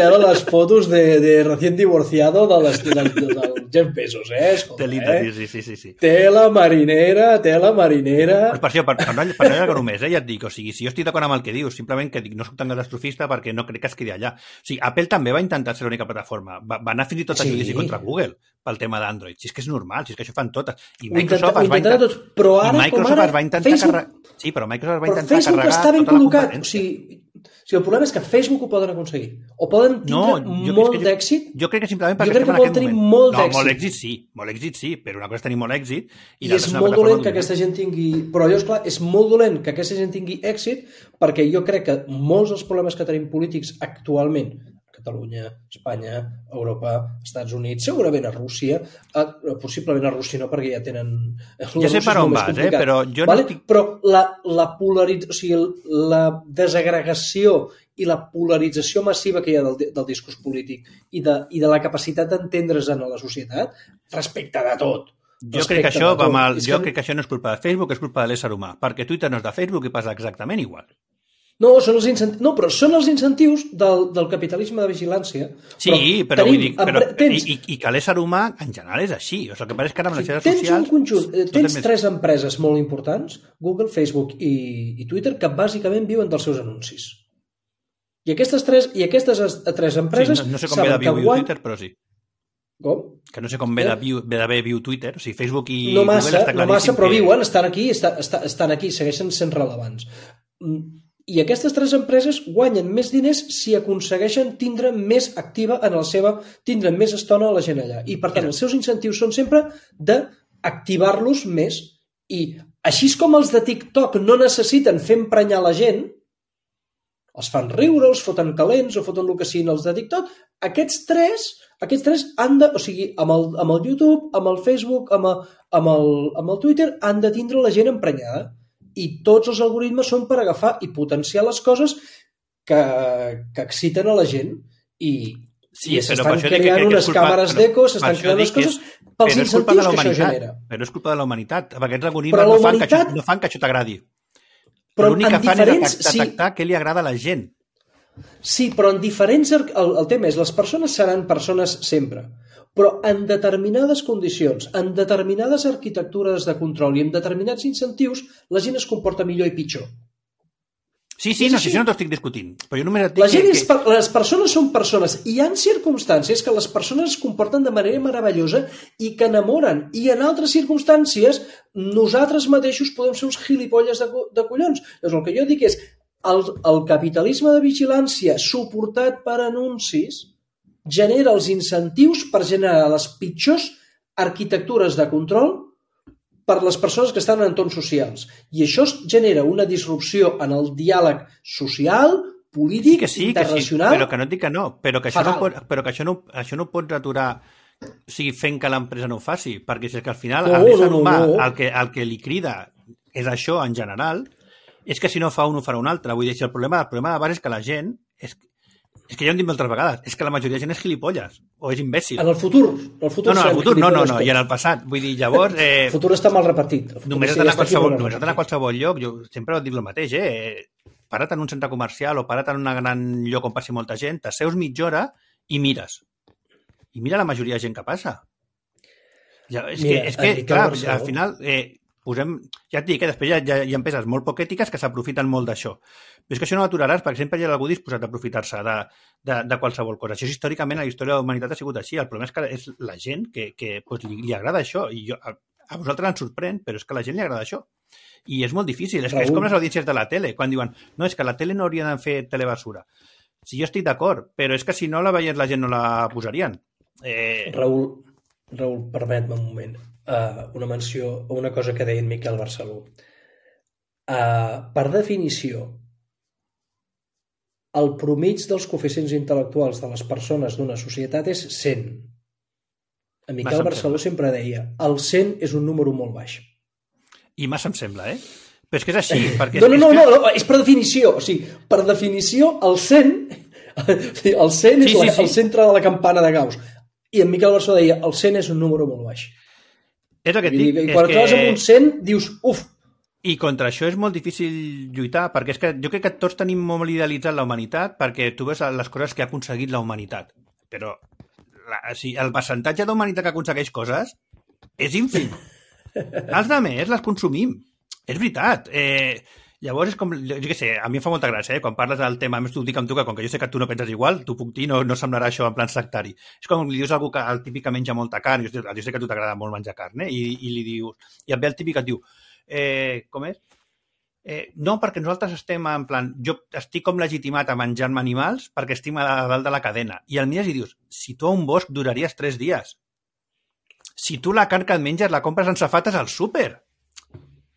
de recién divorciado del Jeff Bezos, Telita, sí. Tela marinera. Pues per això, per no allargar només, ja et dic, o sigui, si jo estic d'acord amb el que dius, simplement que no soc tan catastrofista perquè no crec que es quedi allà. O sigui, Apple també va intentar ser l'única plataforma. Va anar fins i tot a judici contra Google pel tema d'Android. Si és que és normal, si és que això fan totes. I Microsoft es va intentar... Però ara, Facebook... Sí, però Microsoft va intentar Facebook carregar està ben tota la col·locat. competència. O sigui, el problema és que Facebook ho poden aconseguir. O poden tindre molt d'èxit. Jo crec que simplement perquè estem en aquest moment. Molt èxit sí, però una cosa és tenir molt èxit i és molt dolent que aquesta gent tingui... Però jo, esclar, és molt dolent que aquesta gent tingui èxit perquè jo crec que molts dels problemes que tenim polítics actualment, Catalunya, Espanya, Europa, Estats Units, segurament a Rússia, possiblement a Rússia no, perquè ja tenen... Ja sé per on vas, però jo no estic... Però la desagregació i la polarització massiva que hi ha del discurs polític i de la capacitat d'entendre's en la societat respecte de tot. Jo crec que això no és culpa de Facebook, és culpa de l'ésser humà, perquè Twitter no és de Facebook i passa exactament igual. No, però són els incentius del capitalisme de vigilància. Però vull dir, i que l'ésser humà en general és així. O sigui, el que passa és que ara amb les xarxes socials... Tens 3 empreses molt importants, Google, Facebook i Twitter, que bàsicament viuen dels seus anuncis. I aquestes 3 empreses... No sé com ve de viu Twitter, però sí. Com? Que no sé com ve d'haver viu Twitter. O sigui, Facebook i Google està claríssim. No massa, però viuen, estan aquí, segueixen sent rellevants. I aquestes 3 empreses guanyen més diners si aconsegueixen tindre més activa tindre més estona a la gent allà. I, per tant, els seus incentius són sempre d'activar-los més. I així com els de TikTok no necessiten fer emprenyar la gent, els fan riure, els foten calents o foten el que siguin els de TikTok, aquests tres han de... O sigui, amb el YouTube, amb el Facebook, amb el Twitter, han de tindre la gent emprenyada. I tots els algoritmes són per agafar i potenciar les coses que exciten a la gent i s'estan creant unes càmeres d'eco, s'estan creant les coses pels incentius que això genera. Però és culpa de la humanitat. Aquests algoritmes no fan que això t'agradi. L'únic que fan és detectar què li agrada a la gent. Sí, però en diferents... El tema és, les persones seran persones sempre, però en determinades condicions, en determinades arquitectures de control i en determinats incentius, la gent es comporta millor i pitjor. Sí, no, si això no t'ho estic discutint. Però jo només et dic les persones són persones i hi ha circumstàncies que les persones es comporten de manera meravellosa i que enamoren. I en altres circumstàncies nosaltres mateixos podem ser uns gilipolles de collons. Llavors, el que jo dic és el capitalisme de vigilància suportat per anuncis genera els incentius per generar les pitjors arquitectures de control per les persones que estan en entorns socials. I això genera una disrupció en el diàleg social, polític, internacional... Però que no et dic que no, però que això no ho pots aturar fent que l'empresa no ho faci, perquè si és que al final l'ésser humà el que li crida és això en general, és que si no fa un ho farà un altre. Vull dir, el problema de base és que la gent... És que ja ho hem dit moltes vegades, és que la majoria de gent és gilipolles, o és imbècil. En el futur? No, i en el passat. Vull dir, llavors... El futur està mal repartit. Només has d'anar a qualsevol lloc, jo sempre ho dic el mateix, para't en un centre comercial o para't en un gran lloc on passi molta gent, t'asseus mitja hora i mires. I mira la majoria de gent que passa. Clar, al final posem... Ja et dic, després hi ha empreses molt poc ètiques que s'aprofiten molt d'això. Però és que això no ho aturaràs, perquè sempre hi ha algú disposat a aprofitar-se de qualsevol cosa. Això és històricament, a la història de la humanitat ha sigut així. El problema és que és la gent que pues, li agrada això. I a vosaltres ens sorprèn, però és que a la gent li agrada això. I és molt difícil. És com les audiències de la tele, quan diuen no, és que la tele no hauria de fer telebasura. Sí, jo estic d'acord, però és que si no la veiés la gent no la posarien. Raül, permet-me un moment. Una menció o una cosa que deia en Miquel Barceló. Per definició, el promig dels coeficients intel·lectuals de les persones d'una societat és 100. En Miquel Barceló sempre deia el 100 és un número molt baix. I massa em sembla, Però és que és així. Perquè No, és per definició. O sigui, per definició, el 100 és el centre de la campana de Gauss. I en Miquel Barceló deia el 100 és un número molt baix. És el que et dic. I quan et trobes amb un 100, dius, uf. I contra això és molt difícil lluitar, perquè és que jo crec que tots tenim molt idealitzat la humanitat, perquè tu veus les coses que ha aconseguit la humanitat. Però el percentatge d'humanitat que aconsegueix coses és ínfim. Els altres les consumim. És veritat. Llavors és com, jo què sé, a mi em fa molta gràcia, quan parles del tema, a més t'ho dic amb tu, que com que jo sé que tu no penses igual, t'ho puc dir, no semblarà això en plan sectari. És com li dius a algú que el típic que menja molta carn, jo sé que a tu t'agrada molt menjar carn, i li dius, i et ve el típic que et diu, com és? No, perquè nosaltres estem en plan, jo estic com legitimat a menjar-me animals perquè estic a dalt de la cadena. I el mires i dius, si tu a un bosc duraries 3 dies. Si tu la carn que et menges la compres en safates al súper.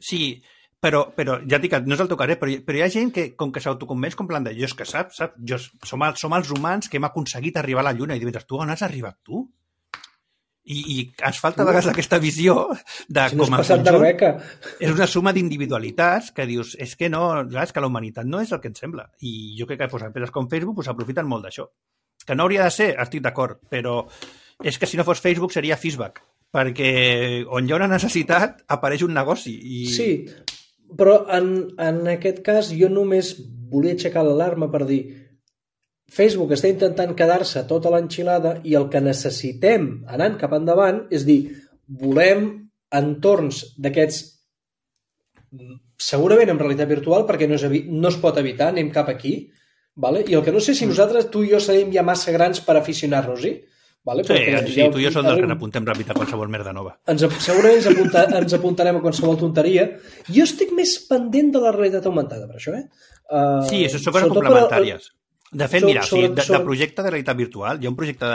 Sí, però ja et dic que no és el teu cas, però hi ha gent que com que s'autoconvenç com plan de, jo és que saps, som els humans que hem aconseguit arribar a la Lluna i dius, tu on has arribat tu? I ens falta a vegades aquesta visió de si no com a conjunt és una suma d'individualitats que dius, és que no, és que la humanitat no és el que ens sembla. I jo crec que empreses com Facebook s'aprofiten molt d'això. Que no hauria de ser, estic d'acord, però és que si no fos Facebook seria Facebook, perquè on hi ha una necessitat apareix un negoci. Sí, però en aquest cas jo només volia aixecar l'alarma per dir Facebook està intentant quedar-se tota l'enxilada i el que necessitem anant cap endavant és dir, volem entorns d'aquests segurament en realitat virtual perquè no es pot evitar, anem cap aquí, vale? I el que no sé si nosaltres, tu i jo serem ja massa grans per aficionar-nos-hi. Vale? Sí, tu i jo som dels que n'apuntem ràpid a qualsevol merda nova. Segurament ens apuntarem a qualsevol tonteria. Jo estic més pendent de la realitat augmentada, per això, Sí, això són coses complementàries. De fet, mira, de projecte de realitat virtual, hi ha un projecte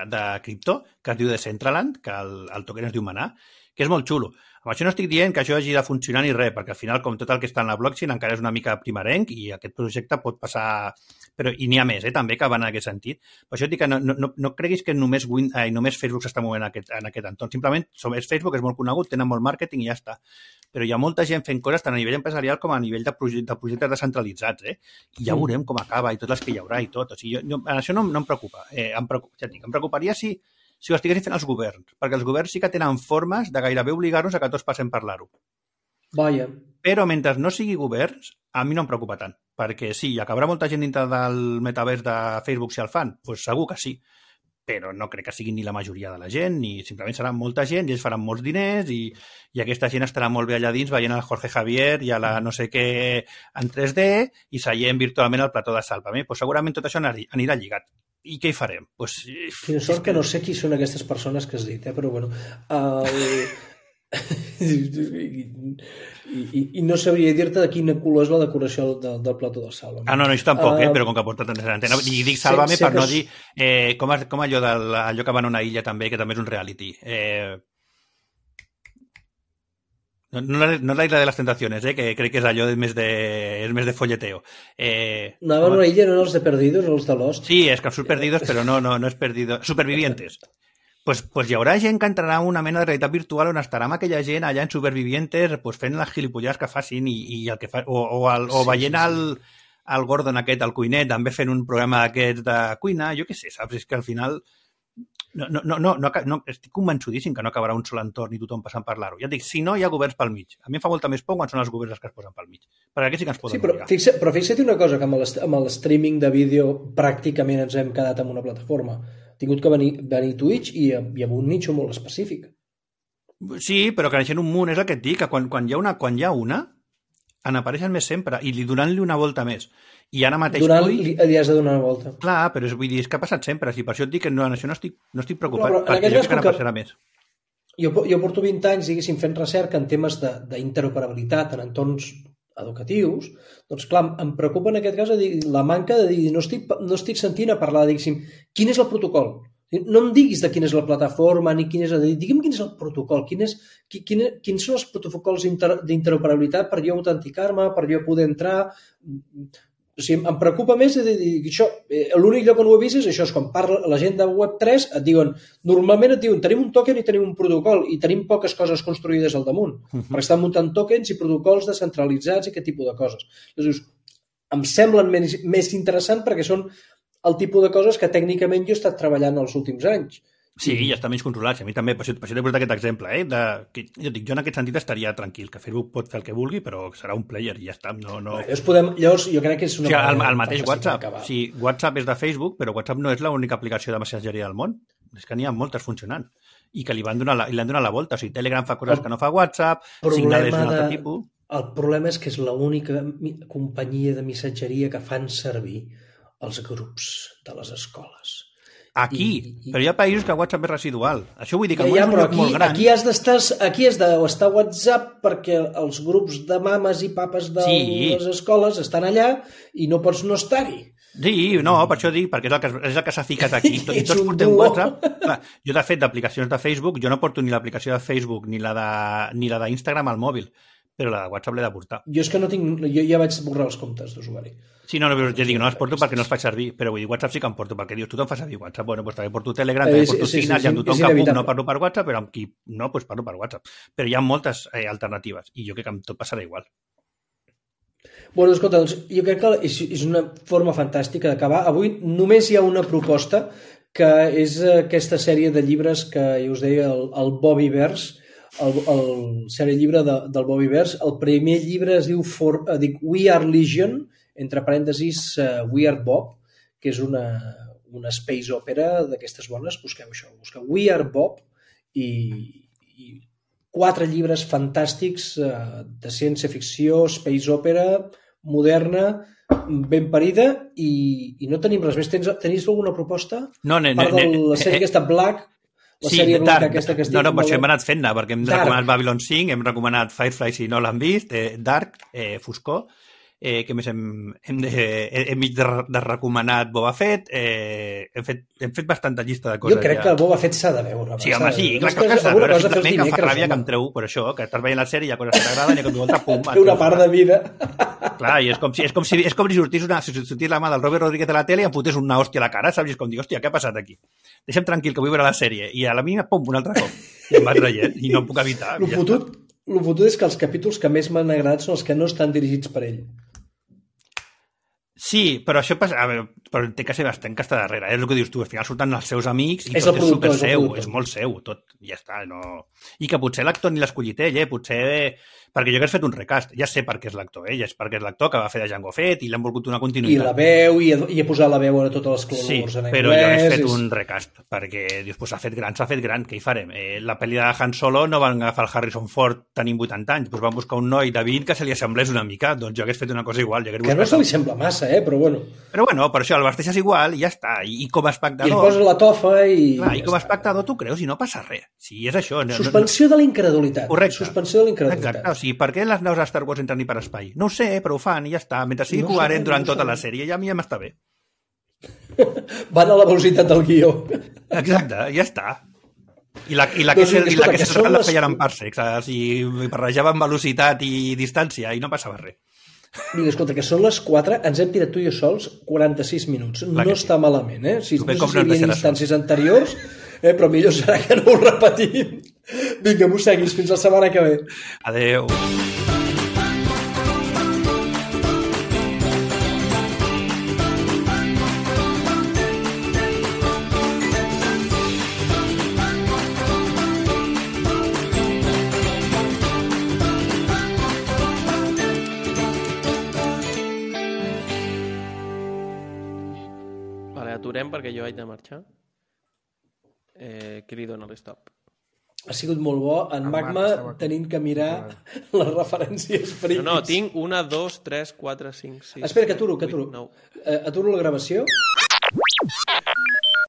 de cripto que es diu Decentraland, que el token es diu Manar, que és molt xulo. Amb això no estic dient que això hagi de funcionar ni res, perquè al final, com tot el que està en la blockchain, encara és una mica primerenc i aquest projecte pot passar... I n'hi ha més, també, que van en aquest sentit. Per això et dic que no creguis que només Facebook s'està movent en aquest entorn. Simplement, és Facebook, és molt conegut, tenen molt màrqueting i ja està. Però hi ha molta gent fent coses tant a nivell empresarial com a nivell de projectes descentralitzats, I ja veurem com acaba i totes les que hi haurà i tot. O sigui, això no em preocupa. Em preocuparia si ho estiguessin fent els governs, perquè els governs sí que tenen formes de gairebé obligar-nos a que tots passem per l'aro. Vaja. Però mentre no sigui governs, a mi no em preocupa tant, perquè sí, acabarà molta gent dintre del metavers de Facebook si el fan? Doncs segur que sí, però no crec que sigui ni la majoria de la gent, ni simplement serà molta gent i ells faran molts diners i aquesta gent estarà molt bé allà dins veient el Jorge Javier i a la no sé què en 3D i seient virtualment al plató de Sálvame. Doncs segurament tot això anirà lligat. I què hi farem? Quina sort que no sé qui són aquestes persones que has dit, però bueno... I no sabria dir-te de quina color és la decoració del plató del Sálvame. No, jo tampoc, però com que porta tant d'antena. I dic Sálvame per no dir... Com allò que va en una illa també, que també és un reality. No és la isla de les tentaciones, que crec que és allò més de folleteo. Anaven a una illa, no els de Perdidos o els de Lost? Sí, és que surt Perdidos, però no és Perdidos. Supervivientes. Pues hi haurà gent que entrarà en una mena de realitat virtual on estarà amb aquella gent allà en Supervivientes fent les gilipollades que facin i el que fa, o veient el Gordon aquest, el cuiner, també fent un programa d'aquests de cuina, jo què sé, saps? És que al final no estic convençudíssim que no acabarà un sol entorn i tothom passant per l'aro. Ja et dic, si no hi ha governs pel mig. A mi em fa molta més por quan són els governs els que es posen pel mig. Perquè aquí sí que ens poden obligar. Però fixa't una cosa, que amb el streaming de vídeo pràcticament ens hem quedat en una plataforma. Ha tingut que venir Twitch i amb un nicho molt específic. Sí, però creixent un munt, és el que et dic, que quan hi ha una, en apareixen més sempre, i donant-li una volta més. I ara mateix... Li has de donar una volta. Clar, però vull dir, és que ha passat sempre, si per això et dic que no, això no estic preocupat, no, perquè jo crec que ara passarà més. Jo porto 20 anys, diguéssim, fent recerca en temes d'interoperabilitat en entorns educatius, doncs clar, em preocupa en aquest cas la manca de dir, no estic sentint a parlar, diguéssim, quin és el protocol? No em diguis de quina és la plataforma, ni quin és digue'm quin és el protocol, quins són els protocols d'interoperabilitat per jo autenticar-me, per jo poder entrar... O sigui, em preocupa més de dir això. L'únic lloc on ho he vist és això, és quan parla la gent de Web3, normalment et diuen, tenim un token i tenim un protocol, i tenim poques coses construïdes al damunt, perquè estan muntant tokens i protocols descentralitzats i aquest tipus de coses. Llavors, em semblen més interessant perquè són el tipus de coses que tècnicament jo he estat treballant els últims anys. Sí, ja està menys controlat. A mi també, per això t'he posat aquest exemple. Jo en aquest sentit estaria tranquil, que Facebook pot fer el que vulgui, però serà un player i ja està. Llavors, jo crec que és una... El mateix WhatsApp. Sí, WhatsApp és de Facebook, però WhatsApp no és l'única aplicació de mensageria del món. És que n'hi ha moltes funcionant. I que li han donat la volta. O sigui, Telegram fa coses que no fa WhatsApp, Signal és un altre tipus... El problema és que és l'única companyia de missatgeria que fan servir els grups de les escoles. Aquí, però hi ha països que WhatsApp és residual. Això vull dir que el món és un lloc molt gran. Aquí has d'estar WhatsApp perquè els grups de mames i papes de les escoles estan allà i no pots no estar-hi. Sí, no, per això dic, perquè és el que s'ha ficat aquí. Tots portem WhatsApp. Clar, jo, de fet, d'aplicacions de Facebook, jo no porto ni l'aplicació de Facebook ni la d'Instagram al mòbil, però la de WhatsApp l'he de portar. Jo és que no tinc... Jo ja vaig borrar els comptes d'usuari. Sí, no, ja dic, no els porto perquè no els faig servir, però vull dir, WhatsApp sí que em porto, perquè dius, tothom fa servir WhatsApp, bueno, doncs també porto Telegram, també porto Signal, i amb tothom que puc no parlo per WhatsApp, però amb qui no, doncs parlo per WhatsApp. Però hi ha moltes alternatives, i jo crec que amb tot passarà igual. Bueno, escolta, doncs jo crec que és una forma fantàstica d'acabar. Avui només hi ha una proposta, que és aquesta sèrie de llibres que ja us deia, el Bobbyverse, el sèrie llibre del Bobbyverse. El primer llibre es diu We Are Legion, entre parèntesis We Are Bob, que és una space opera d'aquestes bones. Busqueu això, busqueu We Are Bob i 4 llibres fantàstics de ciència-ficció, space opera, moderna, ben parida, i no tenim res més. Tenies alguna proposta? No, part de la sèrie aquesta Black, la sèrie Black aquesta que estic... No, per això hem anat fent-ne, perquè hem recomanat Babylon 5, hem recomanat Firefly si no l'han vist, Dark, Foscor, que més hem mig de recomanat Boba Fett, hem fet bastanta llista de coses. Jo crec que el Boba Fett s'ha de veure. Sí, home, sí, clar que s'ha de veure, simplement que em fa ràbia que em treu per això, que estàs veient la sèrie, hi ha coses que t'agraden i que volta, pum... Té una part de vida. Clar, i és com si sortís la mà del Robert Rodríguez de la tele i em fotés una hòstia a la cara, saps? I és com dir, hòstia, què ha passat aquí? Deixa'm tranquil, que vull veure la sèrie. I a la mínima, pum, un altre cop. I em va traient, i no em puc evitar. El fotut és que els capítols que més m'han agradat són els que no estan dirigits per ell. Sí, però això passa... A veure, però té que ser bastant que està darrere. És el que dius tu, al final surten els seus amics i és tot és super seu, és molt seu, tot, ja està. No... I que potser l'actor ni l'ha escollit ell, potser... Perquè jo que has fet un recast, ja sé per què és l'actor, ja és perquè és l'actor que va fer de Jango Fett i l'han volgut una continuïtat. I la veu, i he posat la veu a totes les clonors en anglès. Sí, però jo he fet un recast, perquè dius, doncs s'ha fet gran, què hi farem? La pel·li de Han Solo no van agafar el Harrison Ford tenint 80 anys, doncs van buscar un noi de 20 que se li assemblés una mica, doncs jo hagués fet una cosa igual. Que no se li sembla massa, però bueno. Però bueno, per això el vesteixes igual i ja està, i com a espectador... I li poses la tofa i... Clar, i com a espectador tu creus i no passa res. Sí, és això. Suspensió de la incredulitat. Correcte. Suspensió de la incredulitat. Exacte, o sigui, per què les naus a Star Wars entren ni per espai? No ho sé, però ho fan i ja està. Mentre sigui coherent durant tota la sèrie, ja a mi ja m'està bé. Van a la velocitat del guió. Exacte, ja està. I la que la feien en parsecs, o sigui, barrejaven velocitat i distància i no passava res. Mira, escolta, que són les 4, ens hem tirat tu i jo sols 46 minuts. No està malament, Si no sé si hi havia instàncies anteriors, però millor serà que no ho repetim. Vinga, mosseguis, fins la setmana que ve. Adéu. Aturem perquè jo haig de marxar. Qui li dona l'stop? Ha sigut molt bo. En Magma tenint que mirar les referències friquis. No, tinc 1, 2, 3, 4, 5, 6... Espera, que aturo. 8, Aturo la gravació.